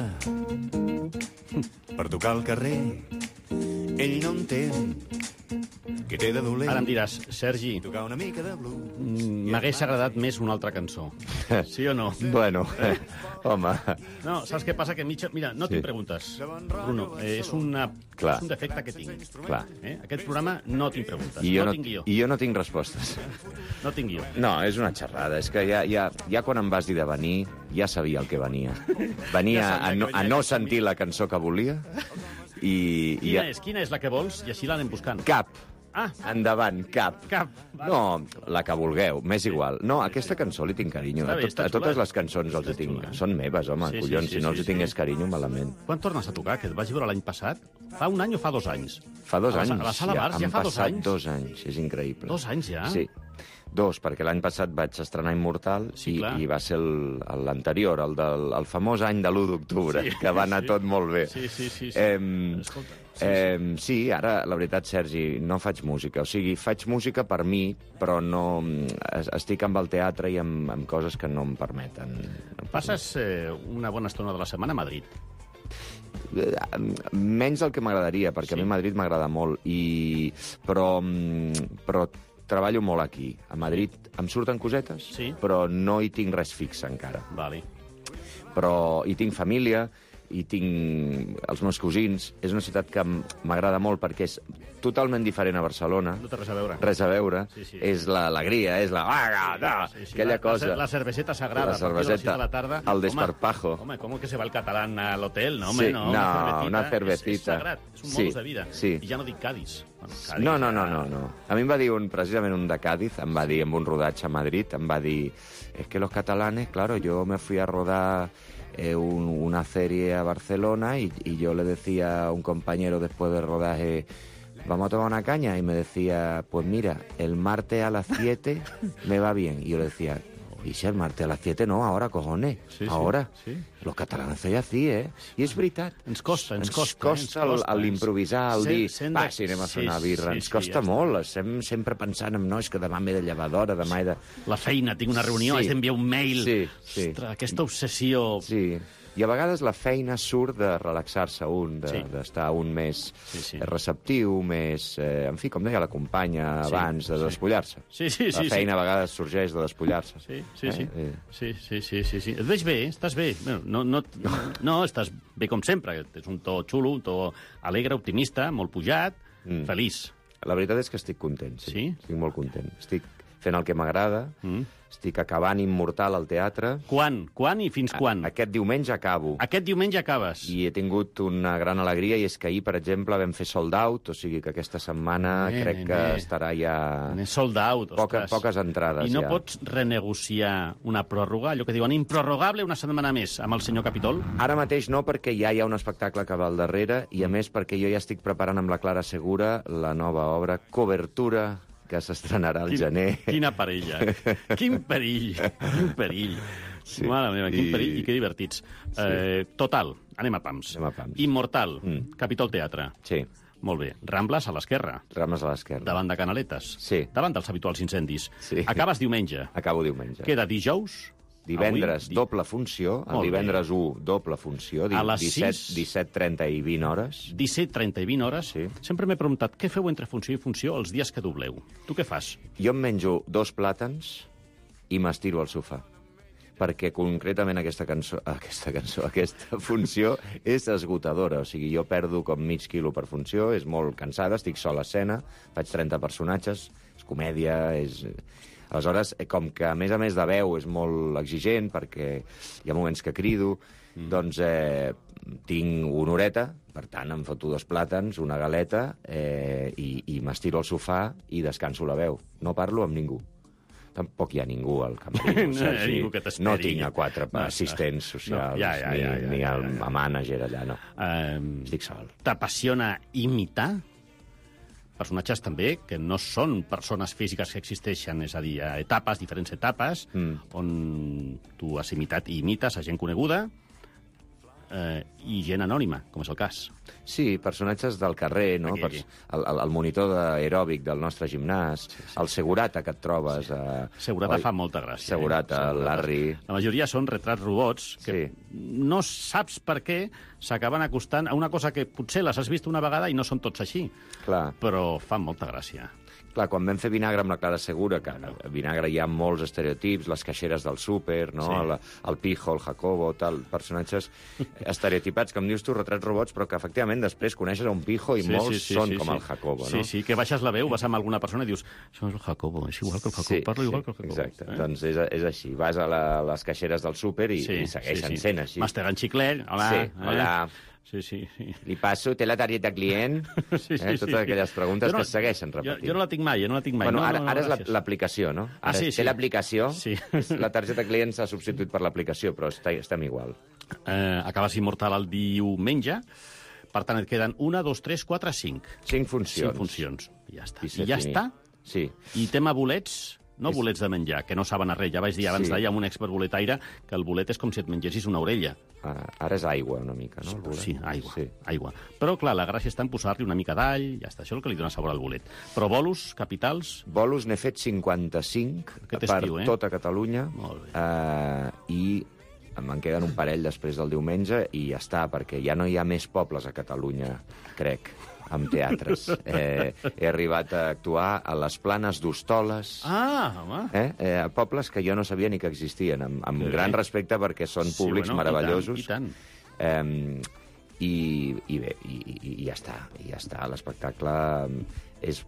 per tocar al carrer. Ell no entén què té de dolent. Ara em diràs, Sergi, tocar una mica de blues. m'hagués agradat més una altra cançó. Sí o no? Bueno, eh, home... No, saps què passa? Que mitja... Mira, no Sí. tinc preguntes, Bruno. Eh, és, una... Clar. és un defecte que tinc. Clar. Eh? Aquest programa no tinc preguntes. I jo no, no, tinc guió. I jo no tinc respostes. No tinc guió. No, és una xerrada. És que ja, ja, ja quan em vas dir de venir, ja sabia el que venia. Venia Ja sabia a, no, que a venia no aquest sentir la cançó que volia i... i Quina és? Quina és la que vols? I així l'anem buscant. Cap. Ah. Endavant, cap. Cap. No, la que vulgueu, m'és igual. No, a aquesta cançó li tinc carinyo. Està A, bé, tot, està a totes xula. les cançons els hi tinc. Són meves, home, Sí, sí, collons. sí, Si no sí, els hi sí. tingués carinyo, malament. Quan tornes a tocar? Que et vaig veure l'any passat? Fa un any o fa dos anys? Fa dos A la- anys. a la Sala Bars ja han fa dos passat anys? dos anys. És increïble. Dos anys ja? Sí. Dos, perquè l'any passat vaig estrenar Immortal Sí, i, clar. i va ser el- l'anterior, el, del el famós any de l'u d'octubre, Sí, que va anar sí. tot molt bé. Sí, sí, sí. sí. Eh, Escolta, sí, eh, sí, ara, la veritat, Sergi, no faig música. O sigui, faig música per mi, però no... es- Estic amb el teatre i amb, amb coses que no em permeten. Passes eh, una bona estona de la setmana a Madrid. Eh, Menys del que m'agradaria, perquè Sí. a mi Madrid m'agrada molt, i... però, mm, però treballo molt aquí. A Madrid em surten cosetes, Sí. però no hi tinc res fix encara. Vale. Però hi tinc família, hi tinc els meus cosins. És una ciutat que m- m'agrada molt perquè és totalment diferent a Barcelona. No té res a veure. Res a veure. Sí, sí. És l'alegria, és la... Ah, no, Sí, sí, aquella la, cosa. La, la cerveseta sagrada. La a partir de les sis cerveseta, de la tarda. el desparpajo. Home, ¿cómo que se va el catalán al hotel? No, home, Sí, no. no, una una cervecita. És, és cervecita. sagrat, és un Sí, modus de vida. sí. I ja no dic Cádiz. Bueno, Cádiz No, no, ja- no, no, no. A mi em va dir un, precisament un de Cádiz, em va dir en un rodatge a Madrid, em va dir, es que los catalanes, claro, yo me fui a rodar eh, un- una serie a Barcelona y, y yo le decía a un compañero después del rodaje, vamos a tomar una caña, y me decía, pues mira, el martes a las siete me va bien. Y yo le decía, y si el martes a las siete no, ahora, cojones, Sí, sí, ahora. sí. Los catalans feia así, eh? I és veritat. Ens costa, ens Ens costa. costa, eh, ens el- costa, l'improvisar, el Sent- dir, sent va, de- si anem a fer sí, una birra, sí, ens sí, costa ja està. molt, estem sempre pensant en, no, és que demà m'he de llevar d'hora, demà he de... La feina, tinc una reunió, Sí. has d'enviar un mail. Sí, sí. Ostres, aquesta obsessió... Sí, i a vegades la feina surt de relaxar-se un, de- Sí. d'estar un més Sí, sí. receptiu, més... Eh, en fi, com deia la companya Sí, abans, de sí. despullar-se. Sí, sí, sí, La feina sí. a vegades sorgeix de despullar-se. Sí, sí, sí. Eh? Sí, sí, sí, sí, sí. Et veig bé, estàs bé. Bueno, no, no, no, estàs bé com sempre. És un to xulo, un to alegre, optimista, molt pujat, Mm. feliç. La veritat és que estic content, sí. Sí? Estic molt content. Estic fent el que m'agrada, Mm. estic acabant Immortal al teatre. Quan? Quan i fins quan? Aquest diumenge acabo. Aquest diumenge acabes. I he tingut una gran alegria, i és que ahir, per exemple, vam fer sold out, o sigui que aquesta setmana Bé, crec bé, que bé. estarà ja... N'és sold out, Poca, ostres. poques entrades, I no ja. pots renegociar una pròrroga, allò que diuen improrrogable una setmana més, amb el senyor Capitol? Ara mateix no, perquè ja hi ha un espectacle que va al darrere, i a més perquè jo ja estic preparant amb la Clara Segura la nova obra Cobertura, que s'estrenarà al Quin- gener. Quina parella. Quin perill. Quin perill. Sí. Mare meva, quin I- perill i que divertits. Sí. Eh, total, anem a pams. Anem a pams. Immortal, Mm. Capitol Teatre. Sí, Molt bé. Rambles a l'esquerra, rames a l'esquerra. davant de Canaletes. Sí. Davant dels habituals incendis. Sí. Acabes diumenge. Acabo diumenge. Queda dijous. Divendres, Avui, di- doble funció. Molt El bé. divendres u, doble funció. di- A les disset, sis. disset trenta i vint hores. disset, trenta i vint hores. Sí. Sempre m'he preguntat què feu entre funció i funció els dies que dobleu. Tu què fas? Jo em menjo dos plàtans i m'estiro al sofà. Perquè concretament aquesta cançó, aquesta cançó, aquesta funció és esgotadora. O sigui, jo perdo com mig quilo per funció, és molt cansada, estic sol a escena, faig trenta personatges, és comèdia, és... Aleshores, eh, com que a més a més de veu és molt exigent, perquè hi ha moments que crido, mm. doncs eh, tinc una horeta, per tant em foto dos plàtans, una galeta, eh, i, i m'estiro al sofà i descanso la veu. No parlo amb ningú. Tampoc hi ha ningú al camerino, No hi ha Sergi. ningú que t'esperi. No tinc a quatre No, assistents no, socials, ja, ja, ni, ja, ja, ni ja, el ja. mànager allà, no. Um, Estic sol. T'apassiona imitar? personatges també que no són persones físiques que existeixen, és a dir, etapes, diferents etapes, mm. on tu has imitat i imites a gent coneguda eh, i gent anònima, com és el cas. Sí, personatges del carrer, no? Aquí, aquí. El, el, el monitor d'aeròbic del nostre gimnàs, sí, sí. El segurata que et trobes... Sí. Eh, Segurata el... fa molta gràcia. Segurata, eh? el Larry... La majoria són retrats robots que sí. no saps per què s'acaben acostant a una cosa que potser les has vist una vegada i no són tots així. Clar. Però fan molta gràcia. Clar, quan vam fer Vinagre amb la Clara Segura, que a Vinagre hi ha molts estereotips, les caixeres del súper, no? Sí. El, el Pijo, el Jacobo, tal, personatges estereotipats, com dius tu, retrats robots, però que efectivament després coneixes a un Pijo i sí, molts sí, sí, són sí, com sí. el Jacobo, sí, no? Sí, sí, que baixes la veu, vas amb alguna persona i dius això és el Jacobo, és igual que el Jacobo, sí, parlo sí, igual que el Jacobo. Exacte, eh? doncs és, és així, vas a la, les caixeres del súper i, sí, i segueixen sí, sí. sent així. Mastegant xiclet, hola. Sí, hola. Eh? Sí, sí, sí. Li passo, té la targeta client? sí, sí, eh? Totes sí, aquelles preguntes no, que es segueixen repetint. Jo, jo no la tinc mai, jo no la tinc mai. Bueno, no, ara, no, no, ara és l'aplicació, no? Ara ah, sí, té sí. l'aplicació, sí. la targeta client s'ha substituït per l'aplicació, però està, estem igual. Eh, acabes immortal el diumenge, per tant et queden una, dos, tres, quatre, cinc. Cinc funcions. Cinc funcions, i ja està. I, I ja finit. està? Sí. I tema bolets... No és... bolets de menjar, que no saben a res. Ja vaig dir abans sí. d'ahir amb un expert boletaire que el bolet és com si et mengessis una orella. Ara, ara és aigua, una mica, no? El bolet? Sí, aigua, sí. aigua. Però, clar, la gràcia està en posar-li una mica d'all, ja està, això és el que li dona sabor al bolet. Però bolos, capitals... Bolos n'he fet cinquanta-cinc per estiu, eh? tota Catalunya. Molt bé. Eh, I me'n queden un parell després del diumenge i ja està, perquè ja no hi ha més pobles a Catalunya, crec, amb teatres. Eh, he arribat a actuar a les Planes d'Hostoles. Ah, home! Eh? Eh, a pobles que jo no sabia ni que existien, amb, amb gran respecte perquè són públics sí, bueno, meravellosos. I tant, i tant. Eh, i, i bé, i, i, i ja està, i ja està. L'espectacle és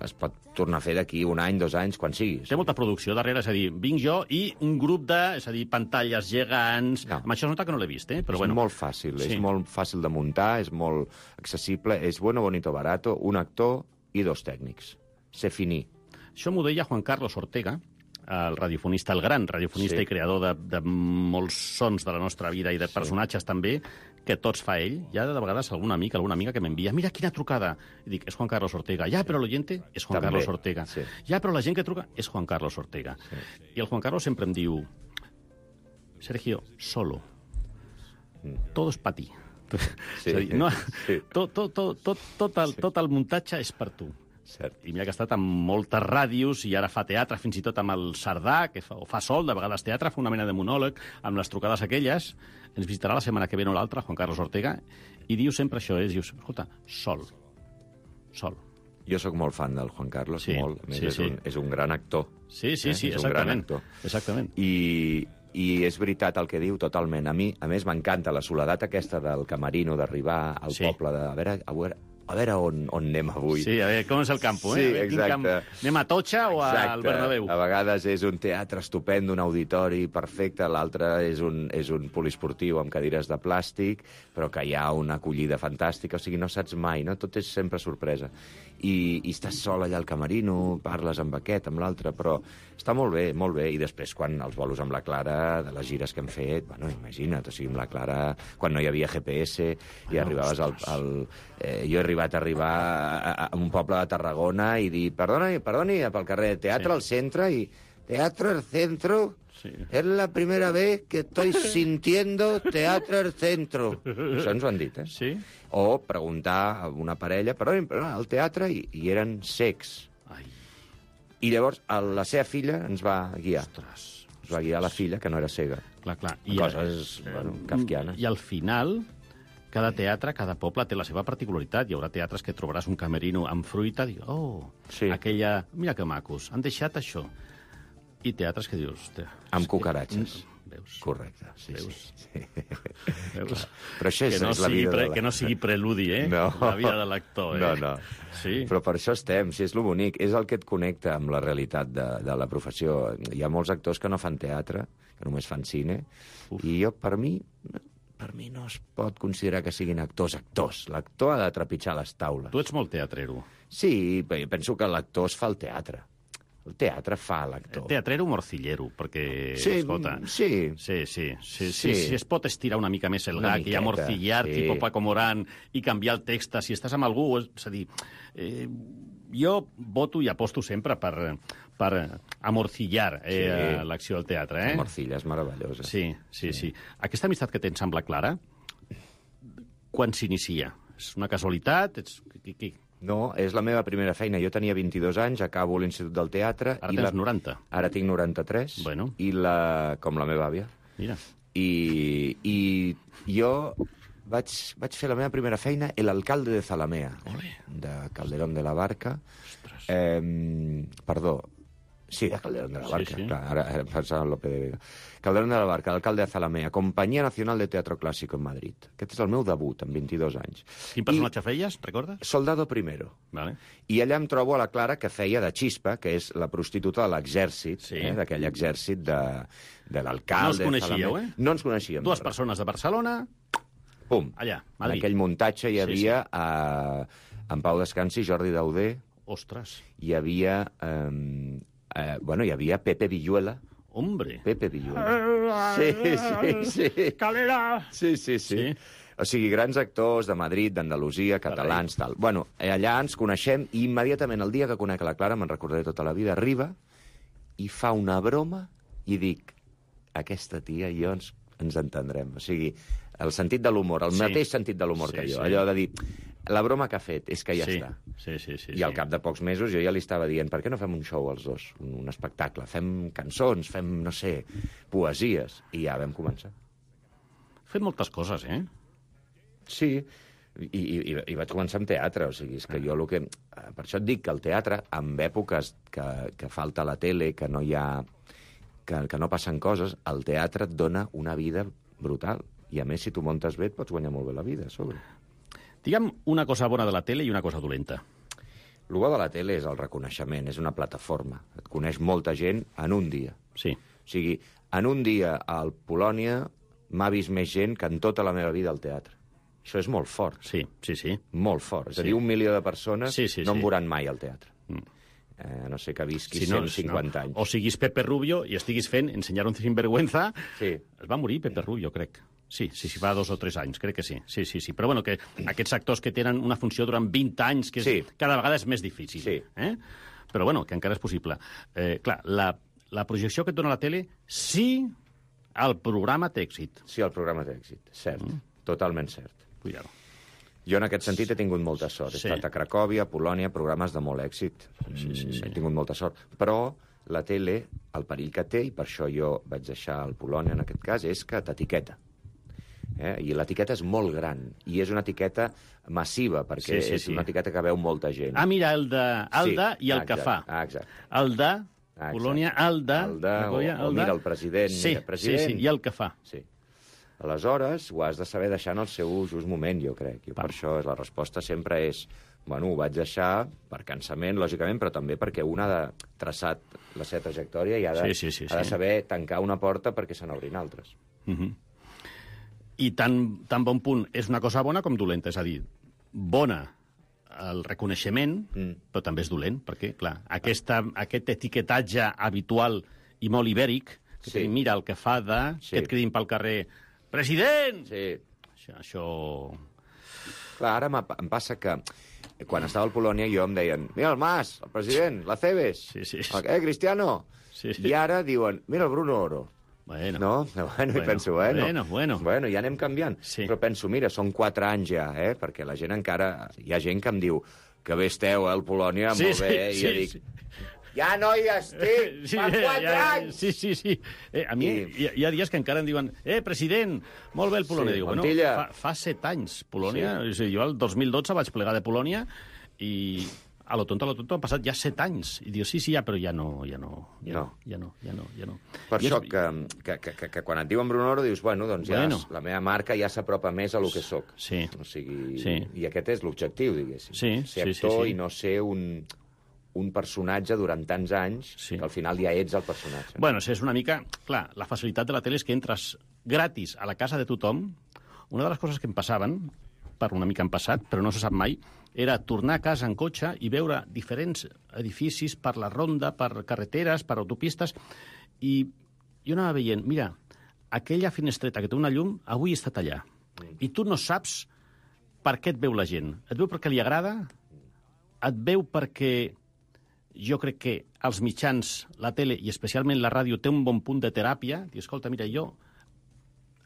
es pot tornar a fer d'aquí un any, dos anys, quan sigui. Té molta producció darrere, és a dir, vinc jo i un grup de, és a dir, pantalles gegants... No. Amb això es nota que no l'he vist, eh? Però és bueno. molt fàcil, sí. és molt fàcil de muntar, és molt accessible, és bueno, bonito, barato, un actor i dos tècnics. Se finí. Això m'ho deia Juan Carlos Ortega, el radiofonista, el gran radiofonista sí. i creador de, de molts sons de la nostra vida i de personatges sí. també, que tots fa ell. Hi ha de vegades algun amic, alguna amiga que m'envia mira quina trucada. I dic, és Juan Carlos Ortega. Ja, però l'oyente és Juan també. Carlos Ortega. Sí. Ja, però la gent que truca és Juan Carlos Ortega. Sí. I el Juan Carlos sempre em diu Sergio, solo. Mm. Todo es pa ti. Sí. És a dir, no, sí. tot, tot, tot, tot, tot, el, tot el muntatge és per tu. Cert. I mira que ha estat amb moltes ràdios i ara fa teatre, fins i tot amb el Cerdà, que fa, o fa sol, de vegades teatre, fa una mena de monòleg, amb les trucades aquelles. Ens visitarà la setmana que ve o l'altra, Juan Carlos Ortega, i diu sempre això, és, dius, escolta, sol, sol. Jo sóc molt fan del Juan Carlos, sí, molt. A més, sí, és, sí. un, és un gran actor. Sí, sí, eh? sí, és exactament. Un gran actor. Exactament. I, I és veritat el que diu, totalment. A mi, a més, m'encanta la soledat aquesta del camerino, d'arribar al sí. poble, de, a veure, a veure, a veure on, on anem avui. Sí, a veure, com és el campo, eh? Sí, exacte. Camp... Anem a Totxa o exacte. al Bernabéu? A vegades és un teatre estupendo, un auditori perfecte, l'altre és, un, és un poliesportiu amb cadires de plàstic, però que hi ha una acollida fantàstica, o sigui, no saps mai, no? Tot és sempre sorpresa. I, i estàs sol allà al camerino, parles amb aquest, amb l'altre, però està molt bé, molt bé. I després, quan els bolos amb la Clara, de les gires que hem fet, bueno, imagina't, o sigui, amb la Clara, quan no hi havia G P S, i ah, arribaves al... al eh, jo he arribat a arribar a, a un poble de Tarragona i dir, perdoni, perdoni, pel carrer, teatre sí. al centre, i teatre al centro... Sí. Es la primera vez que estoy sintiendo teatre al centro. Això ens ho han dit, eh? Sí. O preguntar a una parella, però al teatre, i, i eren cecs. Ai. I llavors la seva filla ens va guiar. Ostres. Ens va guiar la filla, que no era cega. Clar, clar. I coses, eh, bueno, kafkianes. I al final, cada teatre, cada poble té la seva particularitat. Hi haurà teatres que trobaràs un camerino amb fruita, i oh, sí. aquella... Mira que macos, han deixat això. I teatres que dius... Amb cucaratges. Que... Veus? Correcte, sí, Veus? sí. Veus? Però això és, que no és la vida... Pre... De la... Que no sigui preludi, eh? No. La vida de l'actor, eh? No, no. Sí. Però per això estem, si és lo bonic. És el que et connecta amb la realitat de, de la professió. Hi ha molts actors que no fan teatre, que només fan cine, Uf. I jo, per mi... Per mi no es pot considerar que siguin actors actors. L'actor ha de trepitjar les taules. Tu ets molt teatrero. Sí, penso que l'actor es fa el teatre. El teatre fa l'actor. El teatre era un morcillero, perquè... Sí, escolta, sí. Sí, sí. sí, sí, Sí. Si es pot estirar una mica més el Una gag i miqueta, amorcillar, sí. tipus Paco Morán, i canviar el text, si estàs amb algú... És a dir, eh, jo voto i aposto sempre per, per amorcillar eh, Sí. l'acció del teatre. Eh? La morcilla és meravellosa. Sí, sí, sí. Aquesta amistat que tens amb la Clara, quan s'inicia? És una casualitat? Ets... Qui, qui? No, és la meva primera feina. Jo tenia vint-i-dos anys, acabo l'Institut del Teatre... Ara i tens la... noranta. Ara tinc noranta-tres. Bueno. I la... com la meva àvia. Mira. I, i jo vaig, vaig fer la meva primera feina El alcalde de Zalamea, Olé. de Calderón de la Barca. Eh, perdó, sí, de Calderón de la Barca, Sí, sí. clar, ara, ara pensava en Lope de Vega. Calderón de la Barca, alcalde de Zalamea, Companyia Nacional de Teatro Clásico en Madrid. Aquest és el meu debut, amb vint-i-dos anys. Quin personatge feies, recordes? Soldado primero. Vale. I allà em trobo a la Clara, que feia de Xispa, que és la prostituta de l'exèrcit, Sí. eh, d'aquell exèrcit de, de l'alcalde. No us coneixíeu, Zalamea. eh? No ens coneixíem. Dues però- persones de Barcelona, Pum. allà, En Madrid. aquell muntatge hi Sí, havia eh, en Pau Descansi, Jordi Dauder, Ostres, hi havia... Eh, eh, bueno, hi havia Pepe Villuela. hombre. Pepe Villuela. Sí, sí, sí. Calera. Sí, sí, sí. Sí. O sigui, grans actors de Madrid, d'Andalusia, catalans, tal. Bueno, allà ens coneixem i immediatament el dia que conec la Clara, me'n recordaré tota la vida, arriba i fa una broma i dic, aquesta tia i jo ens, ens entendrem. O sigui, el sentit de l'humor, el Sí. mateix sentit de l'humor Sí, que jo. sí. Allò de dir, la broma que ha fet és que ja sí. està. Sí, sí, sí. I al sí. cap de pocs mesos jo ja li estava dient, per què no fem un show els dos, un, un espectacle? Fem cançons, fem, no sé, poesies. I ja vam començar. Fet moltes coses, eh? Sí, i, i, i vaig començar amb teatre, o sigui, és que jo el que... Per això et dic que el teatre, en èpoques que, que falta la tele, que no hi ha... Que, que no passen coses, el teatre et dona una vida brutal. I a més, si tu montes bé, et pots guanyar molt bé la vida, a sobre. Digue'm una cosa bona de la tele i una cosa dolenta. El bo de la tele és el reconeixement, és una plataforma. Et coneix molta gent en un dia. Sí. O sigui, en un dia al Polònia m'ha vist més gent que en tota la meva vida al teatre. Això és molt fort. Sí, sí, sí. Molt fort. És a Sí. dir, un milió de persones Sí, sí, no sí. em veuran mai al teatre. Mm. Eh, a no sé que visqui Si no, cent cinquanta no. anys. O siguis Pepe Rubio i estiguis fent Ensenyar un sinvergüenza. Sí. Es va morir Pepe Rubio, crec. Sí, sí, sí, fa dos o tres anys, crec que sí. Sí, sí, sí. Però bueno, que aquests actors que tenen una funció durant vint anys, que és, Sí. cada vegada és més difícil. Sí. Eh? Però bueno, que encara és possible. Eh, clar, la, la projecció que et dona la tele, sí, el programa té èxit. Sí, el programa té èxit, cert. Mm. Totalment cert. Cuidado. Jo en aquest sentit he tingut molta sort. He Sí. estat a Cracòvia, a Polònia, programes de molt èxit. Sí, sí, sí. He tingut molta sort. Però la tele, el perill que té, i per això jo vaig deixar el Polònia en aquest cas, és que t'etiqueta. Eh? I l'etiqueta és molt gran. I és una etiqueta massiva, perquè Sí, sí, és sí. una etiqueta que veu molta gent. Ah, mira, el de Alda Sí, i el exacte, que fa. ah, exacte. El de Ah, Polònia, el de... El de, o, Cracòvia, o el de- mira el president, Sí, mira, president. sí, sí, i el que fa. Sí. Aleshores, ho has de saber deixar en el seu just moment, jo crec. I per això la resposta sempre és, bueno, ho vaig deixar per cansament, lògicament, però també perquè un ha de traçat la seva trajectòria i ha de, Sí, sí, sí, ha de sí. saber tancar una porta perquè se n'obrin altres. Uh -huh. I tan, tan bon punt és una cosa bona com dolenta, és a dir, bona el reconeixement, Mm. però també és dolent, perquè, clar, aquesta, aquest etiquetatge habitual i molt ibèric, que Sí. sí. mira el que fa de... Sí. que et cridin pel carrer, president! Sí. Això... això... Clar, ara m'ha- em passa que quan estava al Polònia jo em deien, mira el Mas, el president, la Cebes, Sí, sí. eh, Cristiano. Sí, sí. I ara diuen, mira el Bruno Oro. Bueno, No? Bueno, bueno, Bueno, i penso, bueno, bueno, bueno. bueno, ja anem canviant. Sí. Però penso, mira, són quatre anys ja, eh? Perquè la gent encara... Hi ha gent que em diu que bé esteu, eh, al Polònia, Sí, molt sí, bé, sí, i jo dic, sí. ja no hi estic, Sí, fa ja, quatre ja, anys! Sí, sí, sí. Eh, a mi I- hi, hi ha dies que encara em diuen eh, president, molt bé el Polònia. Sí, Dic, bueno, Montilla. fa, fa set anys, Polònia. Sí. O sigui, jo el dos mil dotze vaig plegar de Polònia i a lo tonto, a lo tonto, han passat ja set anys. I dius, sí, sí, ja, però ja no, ja no, ja no, No. ja no, ja no. Ja no. Per I això és- que, que, que, que, que quan et diuen Bruno Oro dius, bueno, doncs ja Bueno. és- la meva marca ja s'apropa més a lo que sóc. Sí. O sigui, Sí. i aquest és l'objectiu, diguéssim. Sí, ser sí, sí, actor sí. i no ser un, un personatge durant tants anys Sí. que al final ja ets el personatge. Bueno, és una mica... Clar, la facilitat de la tele és que entres gratis a la casa de tothom. Una de les coses que em passaven, parlo una mica en passat, però no se sap mai, era tornar a casa en cotxe i veure diferents edificis per la ronda, per carreteres, per autopistes, i jo anava veient, mira, aquella finestreta que té una llum, avui està allà. I tu no saps per què et veu la gent. Et veu perquè li agrada? Et veu perquè jo crec que els mitjans, la tele i especialment la ràdio té un bon punt de teràpia? I escolta, mira, jo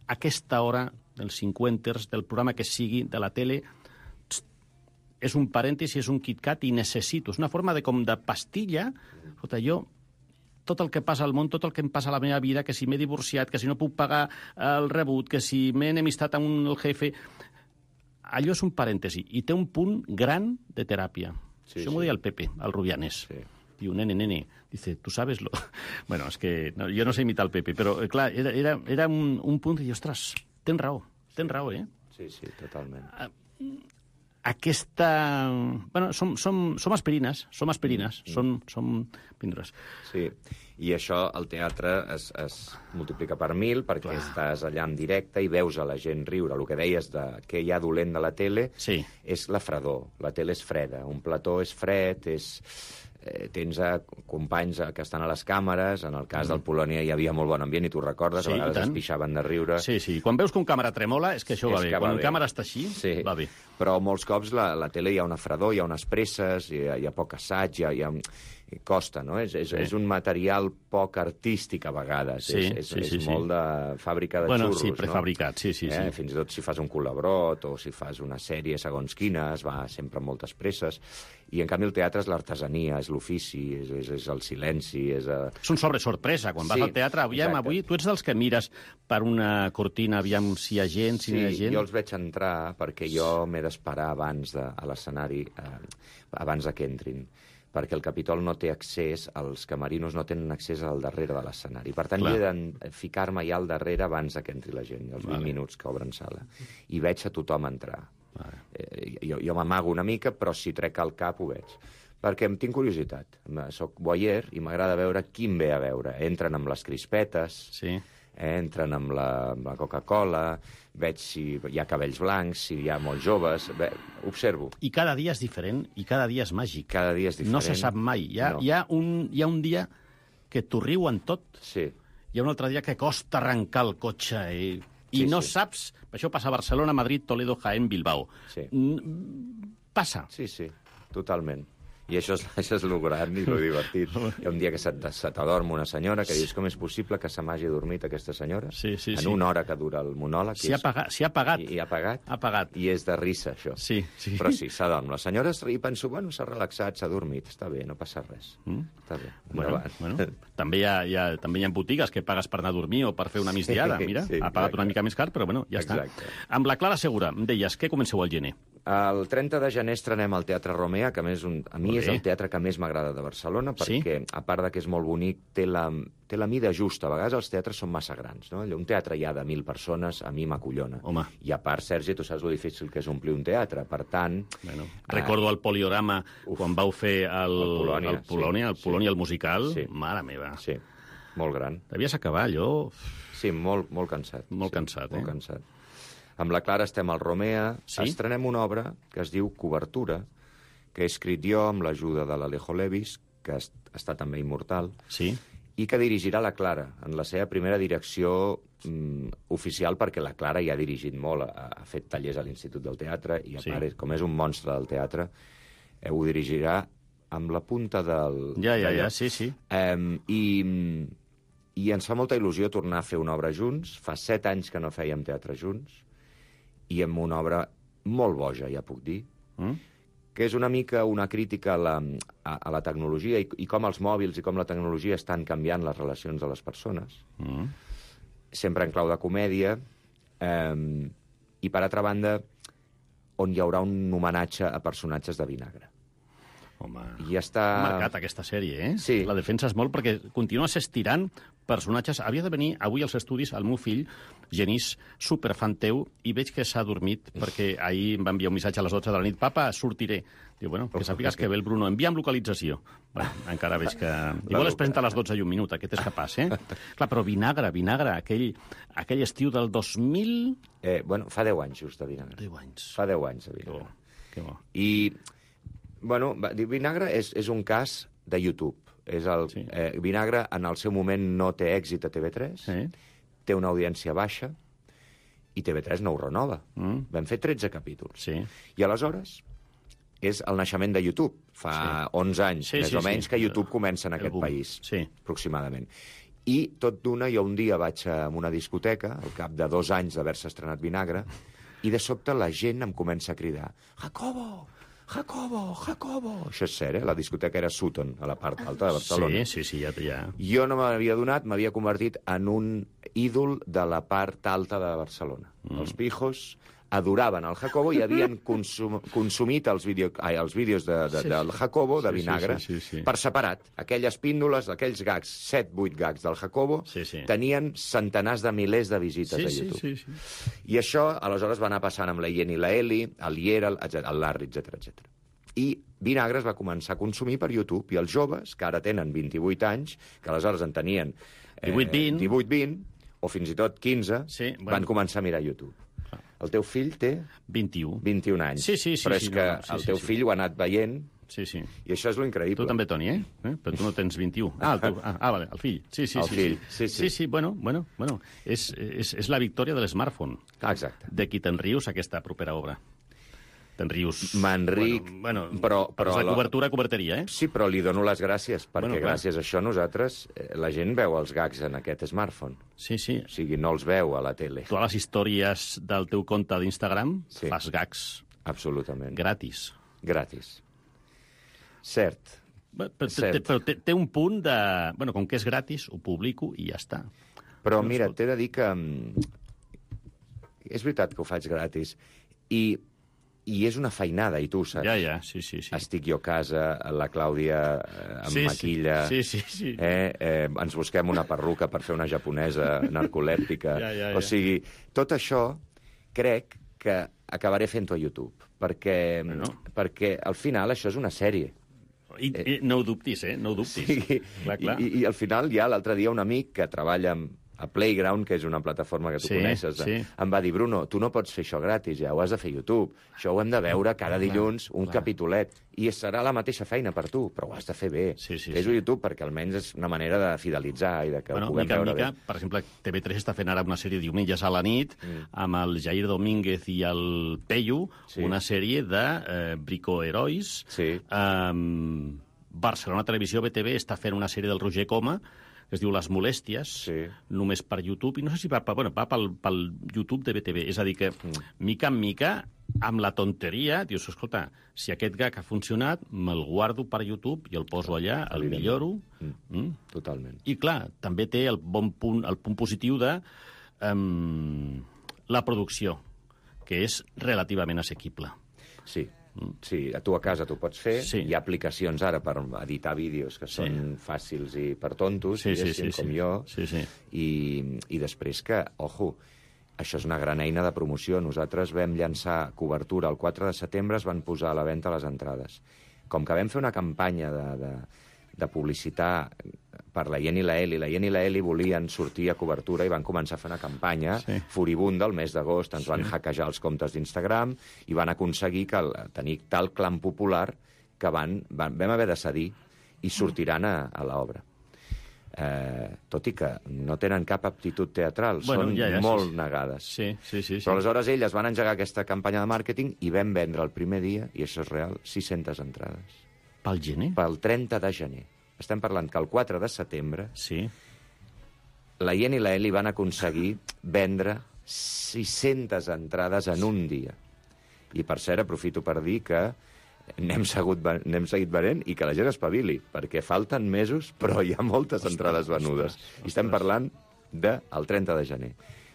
a aquesta hora dels cinquanters, del programa que sigui, de la tele, és un parèntesi, és un KitKat i necessito. És una forma de com de pastilla. Escolta, jo, tot el que passa al món, tot el que em passa a la meva vida, que si m'he divorciat, que si no puc pagar el rebut, que si m'he enemistat amb un, el jefe... Allò és un parèntesi i té un punt gran de teràpia. Sí, Això sí. m'ho deia el Pepe, el Rubianes. Sí. Diu, nene, nene, dice, ¿tú sabes lo...? Bueno, és que no, jo no sé imitar el Pepe, però, clar, era, era, era un, un punt i, ostres, tens raó, tens raó, eh? Sí, sí, totalment. Aquesta... Bueno, som, som, som aspirines, som aspirines, mm. som, som píndores. Sí, i això, el teatre es, es multiplica per mil perquè Clar. estàs allà en directe i veus a la gent riure. El que deies de què hi ha dolent de la tele sí. és la fredor. La tele és freda, un plató és fred, és... Eh, tens a companys que estan a les càmeres, en el cas mm. del Polònia hi havia molt bon ambient i tu recordes, sí, a vegades es pixaven de riure. Sí, sí, quan veus que un càmera tremola és que això va és bé, que quan va un bé. càmera està així, sí. va bé. Però molts cops la, la tele hi ha una fredor, hi ha unes presses, hi ha, hi ha poc assaig, hi ha... Hi ha... costa, no? És, és, sí. és un material poc artístic a vegades. Sí, és és, sí, sí, és sí. molt de fàbrica de bueno, xurros, sí, prefabricat, no? sí, sí, eh? sí. Fins i tot si fas un col·labrot o si fas una sèrie segons quina, es va sempre amb moltes presses. I, en canvi, el teatre és l'artesania, és l'ofici, és, és, és el silenci, és... A... És un sobre sorpresa. Quan vas sí, al teatre, aviam, exacte. avui tu ets dels que mires per una cortina, aviam si hi ha gent, si sí, no hi ha gent... jo els veig entrar perquè jo m'he d'esperar abans de, a l'escenari, eh, abans de que entrin, perquè el Capitol no té accés, els camerinos no tenen accés al darrere de l'escenari. Per tant, Clar. he de ficar-me ja al darrere abans que entri la gent, els vint vale. minuts que obren sala. I veig a tothom entrar. Vale. Eh, jo jo m'amago una mica, però si trec el cap ho veig. Perquè em tinc curiositat. Soc voyeur i m'agrada veure qui em ve a veure. Entren amb les crispetes, sí. entren amb la, amb la Coca-Cola, veig si hi ha cabells blancs, si hi ha molts joves, ve, observo. I cada dia és diferent, i cada dia és màgic. Cada dia és diferent. No se sap mai. Hi ha, no. hi ha, un, hi ha un dia que t'ho riuen tot, sí. hi ha un altre dia que costa arrencar el cotxe i, i sí, no sí. saps... Això passa a Barcelona, Madrid, Toledo, Jaén, Bilbao. Sí. Passa. Sí, sí, totalment. I això és, això és lo gran i lo divertit. Hi ha un dia que se, se t'adorm una senyora que dius com és possible que se m'hagi dormit aquesta senyora? Sí, sí, en sí. una hora que dura el monòleg. Si ha pagat. Si ha pagat. I, i ha pagat. Ha pagat. I és de risa, això. Sí, sí. Però sí, s'adorm. La senyora i penso, bueno, s'ha relaxat, s'ha dormit, està bé, no passa res. Mm? Està bé. Bueno, bueno. També, hi ha, hi ha, també hi ha botigues que pagues per anar a dormir o per fer una migdiada. Mira, sí, ha pagat exacte. una mica més car, però bueno, ja exacte. està. Amb la Clara Segura, em deies, què comenceu al gener? El trenta de gener estrenem al Teatre Romea, que a, més un, a mi és el teatre que més m'agrada de Barcelona, perquè, sí? a part de que és molt bonic, té la, té la mida justa. A vegades els teatres són massa grans, no? Un teatre ja de mil persones, a mi m'acollona. Home. I a part, Sergi, tu saps lo difícil que és omplir un teatre. Per tant... Bueno, recordo el Poliorama, uf, quan vau fer el, el Polònia, el, Polònia, sí, el, Polònia, sí. el musical. Sí. Mare meva. Sí, molt gran. Devies acabar allò... Sí, molt, molt cansat. Molt sí, cansat, eh? Molt cansat. Amb la Clara estem al Romea, sí? estrenem una obra que es diu Cobertura, que he escrit jo amb l'ajuda de l'Alejo Levis, que està també immortal, sí? i que dirigirà la Clara, en la seva primera direcció mm, oficial, perquè la Clara ja ha dirigit molt, ha, ha fet tallers a l'Institut del Teatre, i a sí. part, com és un monstre del teatre, eh, ho dirigirà amb la punta del... Ja, ja, ja, sí, sí. Eh, i, I ens fa molta il·lusió tornar a fer una obra junts. Fa set anys que no fèiem teatre junts, i amb una obra molt boja, ja puc dir, mm? que és una mica una crítica a la, a, a la tecnologia i, i com els mòbils i com la tecnologia estan canviant les relacions de les persones. Mm. Sempre en clau de comèdia. Eh, I, per altra banda, on hi haurà un homenatge a personatges de vinagre. Home, I està... ha marcat aquesta sèrie, eh? Sí. La defensa és molt perquè continua s'estirant personatges. Havia de venir avui als estudis el meu fill, Genís, superfan teu, i veig que s'ha dormit perquè ahir em va enviar un missatge a les dotze de la nit. Papa, sortiré. Diu, bueno, que sàpigues que ve el Bruno. Envia'm localització. Bueno, encara veig que... Igual es presenta a les dotze i un minut, aquest és capaç, eh? Clar, però Vinagre, Vinagre, aquell, aquell estiu del dos mil... Eh, bueno, fa deu anys, just, de Vinagre. deu anys. Fa deu anys, de Vinagre. Que bo. I, bueno, Vinagre és, és un cas de YouTube. És el, sí. eh, Vinagre, en el seu moment, no té èxit a T V tres, sí. Té una audiència baixa, i T V tres no ho renova. Mm. Vam fer tretze capítols. Sí. I aleshores és el naixement de YouTube. Fa sí. onze anys, sí, més sí, o menys, sí. que YouTube comença en el aquest boom. País, sí. aproximadament. I tot d'una, jo un dia vaig a una discoteca, al cap de dos anys d'haver-se estrenat Vinagre, i de sobte la gent em comença a cridar «Jacobo! Jacobo! Jacobo!» Això és cert, eh? La discoteca era Sutton, a la part alta de Barcelona. Sí, sí, sí, ja... ja. Jo no m'havia donat, m'havia convertit en un ídol de la part alta de Barcelona. Mm. Els pijos adoraven el Jacobo i havien consum, consumit els, vídeo, ai, els vídeos de, de, sí, del Jacobo, de Vinagre, sí, sí, sí, sí. per separat. Aquelles píndoles, aquells gags, set, vuit gags del Jacobo, sí, sí. tenien centenars de milers de visites sí, a YouTube. Sí, sí, sí. I això, aleshores, va anar passant amb la Ien i la Eli, el Lier, el, el Larry, etcètera, etcètera. I Vinagre es va començar a consumir per YouTube, i els joves, que ara tenen vint-i-vuit anys, que aleshores en tenien eh, divuit vint, o fins i tot quinze, sí, bueno. van començar a mirar YouTube. El teu fill té... vint-i-u. vint-i-un anys. Sí, sí, sí. Però és sí, que no, no, sí, el sí, teu sí. fill ho ha anat veient, sí, sí. i això és lo increïble. Tu també, Toni, eh? eh? Però tu no tens vint-i-u. Ah, el teu... ah, ah, vale, el fill. Sí, sí, el sí, fill. Sí. Sí, sí. sí, sí, bueno, bueno, bueno. És, és, és la victòria de l'smartphone. Ah, exacte. De qui te'n rius, aquesta propera obra. Te'n rius... Me'n ric, bueno, bueno, però... però la cobertura, coberteria, eh? Sí, però li dono les gràcies, perquè bueno, gràcies a això nosaltres, eh, la gent veu els gags en aquest smartphone. Sí, sí. O sigui, no els veu a la tele. Tu a les històries del teu compte d'Instagram sí. fas gags... Absolutament. Gratis. Gratis. Cert. Però, Cert. Té, però té, té un punt de... Bueno, com que és gratis, ho publico i ja està. Però no mira, t'he de dir que... És veritat que ho faig gratis. I... I és una feinada, i tu ho saps. Ja, ja, sí, sí, sí. Estic jo a casa, la Clàudia eh, em sí, maquilla... Sí, sí, sí. Eh, eh, ens busquem una perruca per fer una japonesa narcolèptica. Ja, ja, ja. O sigui, tot això crec que acabaré fent-ho a YouTube, perquè, bueno. perquè al final això és una sèrie. I, i no ho dubtis, eh? No ho dubtis. Sí, clar, clar. I, I al final ja l'altre dia un amic que treballa amb a Playground, que és una plataforma que tu sí, coneixes, sí. em va dir, Bruno, tu no pots fer això gratis, ja ho has de fer a YouTube. Això ho hem de veure cada dilluns, un clar. capitolet, i serà la mateixa feina per tu, però ho has de fer bé. Sí, sí, Fes-ho sí. a YouTube, perquè almenys és una manera de fidelitzar i de que bueno, ho puguem mica, veure mica, bé. Per exemple, T V tres està fent ara una sèrie diumenges a la nit mm. amb el Jair Domínguez i el Peyu, sí. una sèrie de eh, bricoherois. Sí. Um, Barcelona Televisió, B T V, està fent una sèrie del Roger Coma, que es diu Les Molèsties, sí. només per YouTube, i no sé si va, bueno, va pel, pel YouTube de B T V. És a dir que, mm. mica en mica, amb la tonteria, dius, escolta, si aquest gag ha funcionat, me'l guardo per YouTube i el poso allà, el milloro. Mm. Mm? Totalment. I, clar, també té el bon punt, el punt positiu de um, la producció, que és relativament assequible. Sí. Sí, a tu a casa t'ho pots fer. Sí. Hi ha aplicacions ara per editar vídeos que són sí. fàcils i per tontos, sí, sí, sí, com sí. jo. Sí, sí. I, I després que, ojo, això és una gran eina de promoció. Nosaltres vam llançar cobertura el quatre de setembre, es van posar a la venda les entrades. Com que vam fer una campanya de, de, de publicitar per la Ien i la Eli. La Ien i la Eli volien sortir a cobertura i van començar a fer una campanya sí. furibunda el mes d'agost. Ens sí. van hackejar els comptes d'Instagram i van aconseguir que el, tenir tal clam popular que van, van, vam haver de cedir i sortiran a, a l'obra. Eh, tot i que no tenen cap aptitud teatral, bueno, són ja, ja, molt sí. negades. Sí, sí, sí, sí. Però aleshores elles van engegar aquesta campanya de màrqueting i vam vendre el primer dia, i això és real, sis-centes entrades. Pel gener? Pel trenta de gener. Estem parlant que el quatre de setembre sí. la Ien i la Eli van aconseguir vendre sis-centes entrades en un dia. I, per cert, aprofito per dir que n'hem, segut, n'hem seguit venent i que la gent espavili, perquè falten mesos, però hi ha moltes ostres, entrades venudes. Ostres, ostres. I estem parlant del trenta de gener.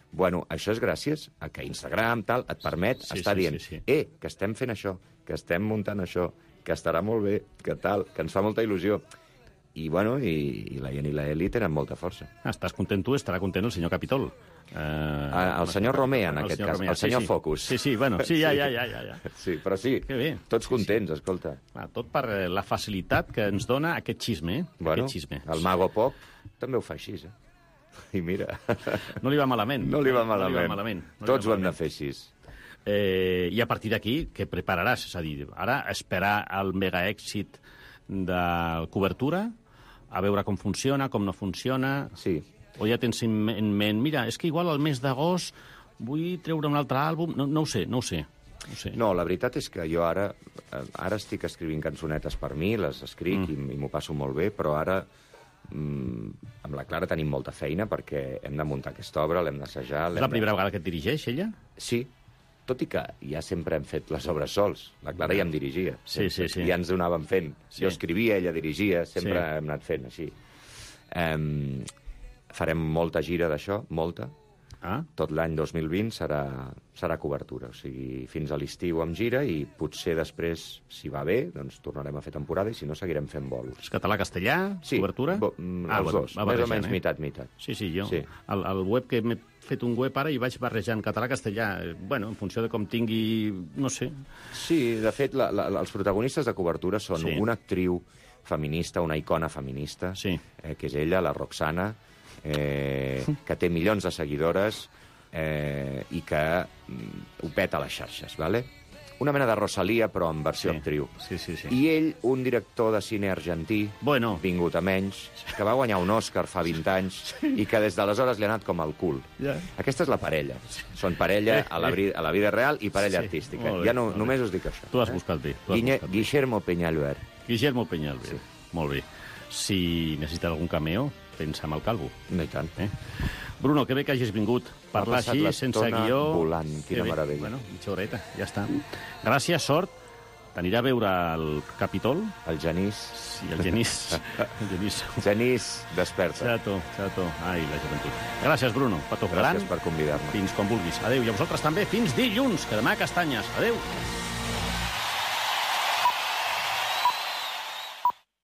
Bueno, això és gràcies a que Instagram tal et permet sí, estar sí, dient sí, sí. eh, que estem fent això, que estem muntant això, que estarà molt bé, que tal, que ens fa molta il·lusió. I, bueno, i, i la Ian i la Eli tenen molta força. Ah, estàs content tu, estarà content el senyor Capitol. Uh, el senyor Romea, en aquest cas, Romea. el senyor sí, sí. Focus. Sí, sí, bueno, sí, ja, ja, ja, ja, ja. Sí, però sí, tots contents, escolta. Ah, tot per la facilitat que ens dona aquest xisme, eh? Bueno, aquest xisme. El Mago Pop també ho fa així, eh? I mira... No li va malament. No li va malament. No li va malament. No Tots va ho hem de fer així. Eh, I a partir d'aquí, què prepararàs? És a dir, ara esperar el mega èxit de cobertura, a veure com funciona, com no funciona... Sí. O ja tens en ment, mira, és que igual al mes d'agost vull treure un altre àlbum... No, no ho sé, no ho sé. No, sé. No, la veritat és que jo ara ara estic escrivint cançonetes per mi, les escric mm. i, i m'ho passo molt bé, però ara mm, amb la Clara tenim molta feina perquè hem de muntar aquesta obra, l'hem d'assajar... És la primera de... vegada que et dirigeix, ella? Sí, tot i que ja sempre hem fet les obres sols. La Clara ja em dirigia. Sí, sí, sí. Ja ens ho anàvem fent. Sí. Jo escrivia, ella dirigia, sempre sí. hem anat fent així. Um, farem molta gira d'això, molta. Ah. Tot l'any dos mil vint serà, serà cobertura, o sigui, fins a l'estiu amb gira i potser després, si va bé, doncs tornarem a fer temporada i si no seguirem fent bolos. És català-castellà, sí, cobertura? Bo, ah, els bueno, dos, més o menys eh? mitat, mitat. Sí, sí, jo. Sí. El, el web que m'he fet un web ara i vaig barrejant català-castellà, bueno, en funció de com tingui, no sé. Sí, de fet, la, la, els protagonistes de cobertura són sí. una actriu feminista, una icona feminista, sí. eh, que és ella, la Roxana, eh, que té milions de seguidores eh, i que mm, ho peta a les xarxes, ¿vale? Una mena de Rosalia, però en versió sí. actriu. Sí, sí, sí. I ell, un director de cine argentí, bueno. vingut a menys, que va guanyar un Òscar fa vint anys sí. i que des d'aleshores li ha anat com al cul. Yeah. Aquesta és la parella. Són parella a la, a la vida real i parella sí. artística. Bé, ja no, només us dic això. Tu has buscat bé. Tu has Guille, buscat bé. Guillermo Peñalver. Guillermo Peñalver. Sí. Molt bé. Si necessites algun cameo, pensa en el Calvo. No i tant. Eh? Bruno, que bé que hagis vingut. Parlar així, sense guió... volant, quina meravella. Bueno, mitja horeta, ja està. Gràcies, sort. T'anirà a veure el Capitol. El Genís. Sí, el Genís. el Genís. Genís, desperta. Chato, chato. Ai, la joventut. Gràcies, Bruno. Petó gran. Gràcies per convidar-me. Fins quan vulguis. Adéu. I a vosaltres també. Fins dilluns, que demà castanyes. Adéu.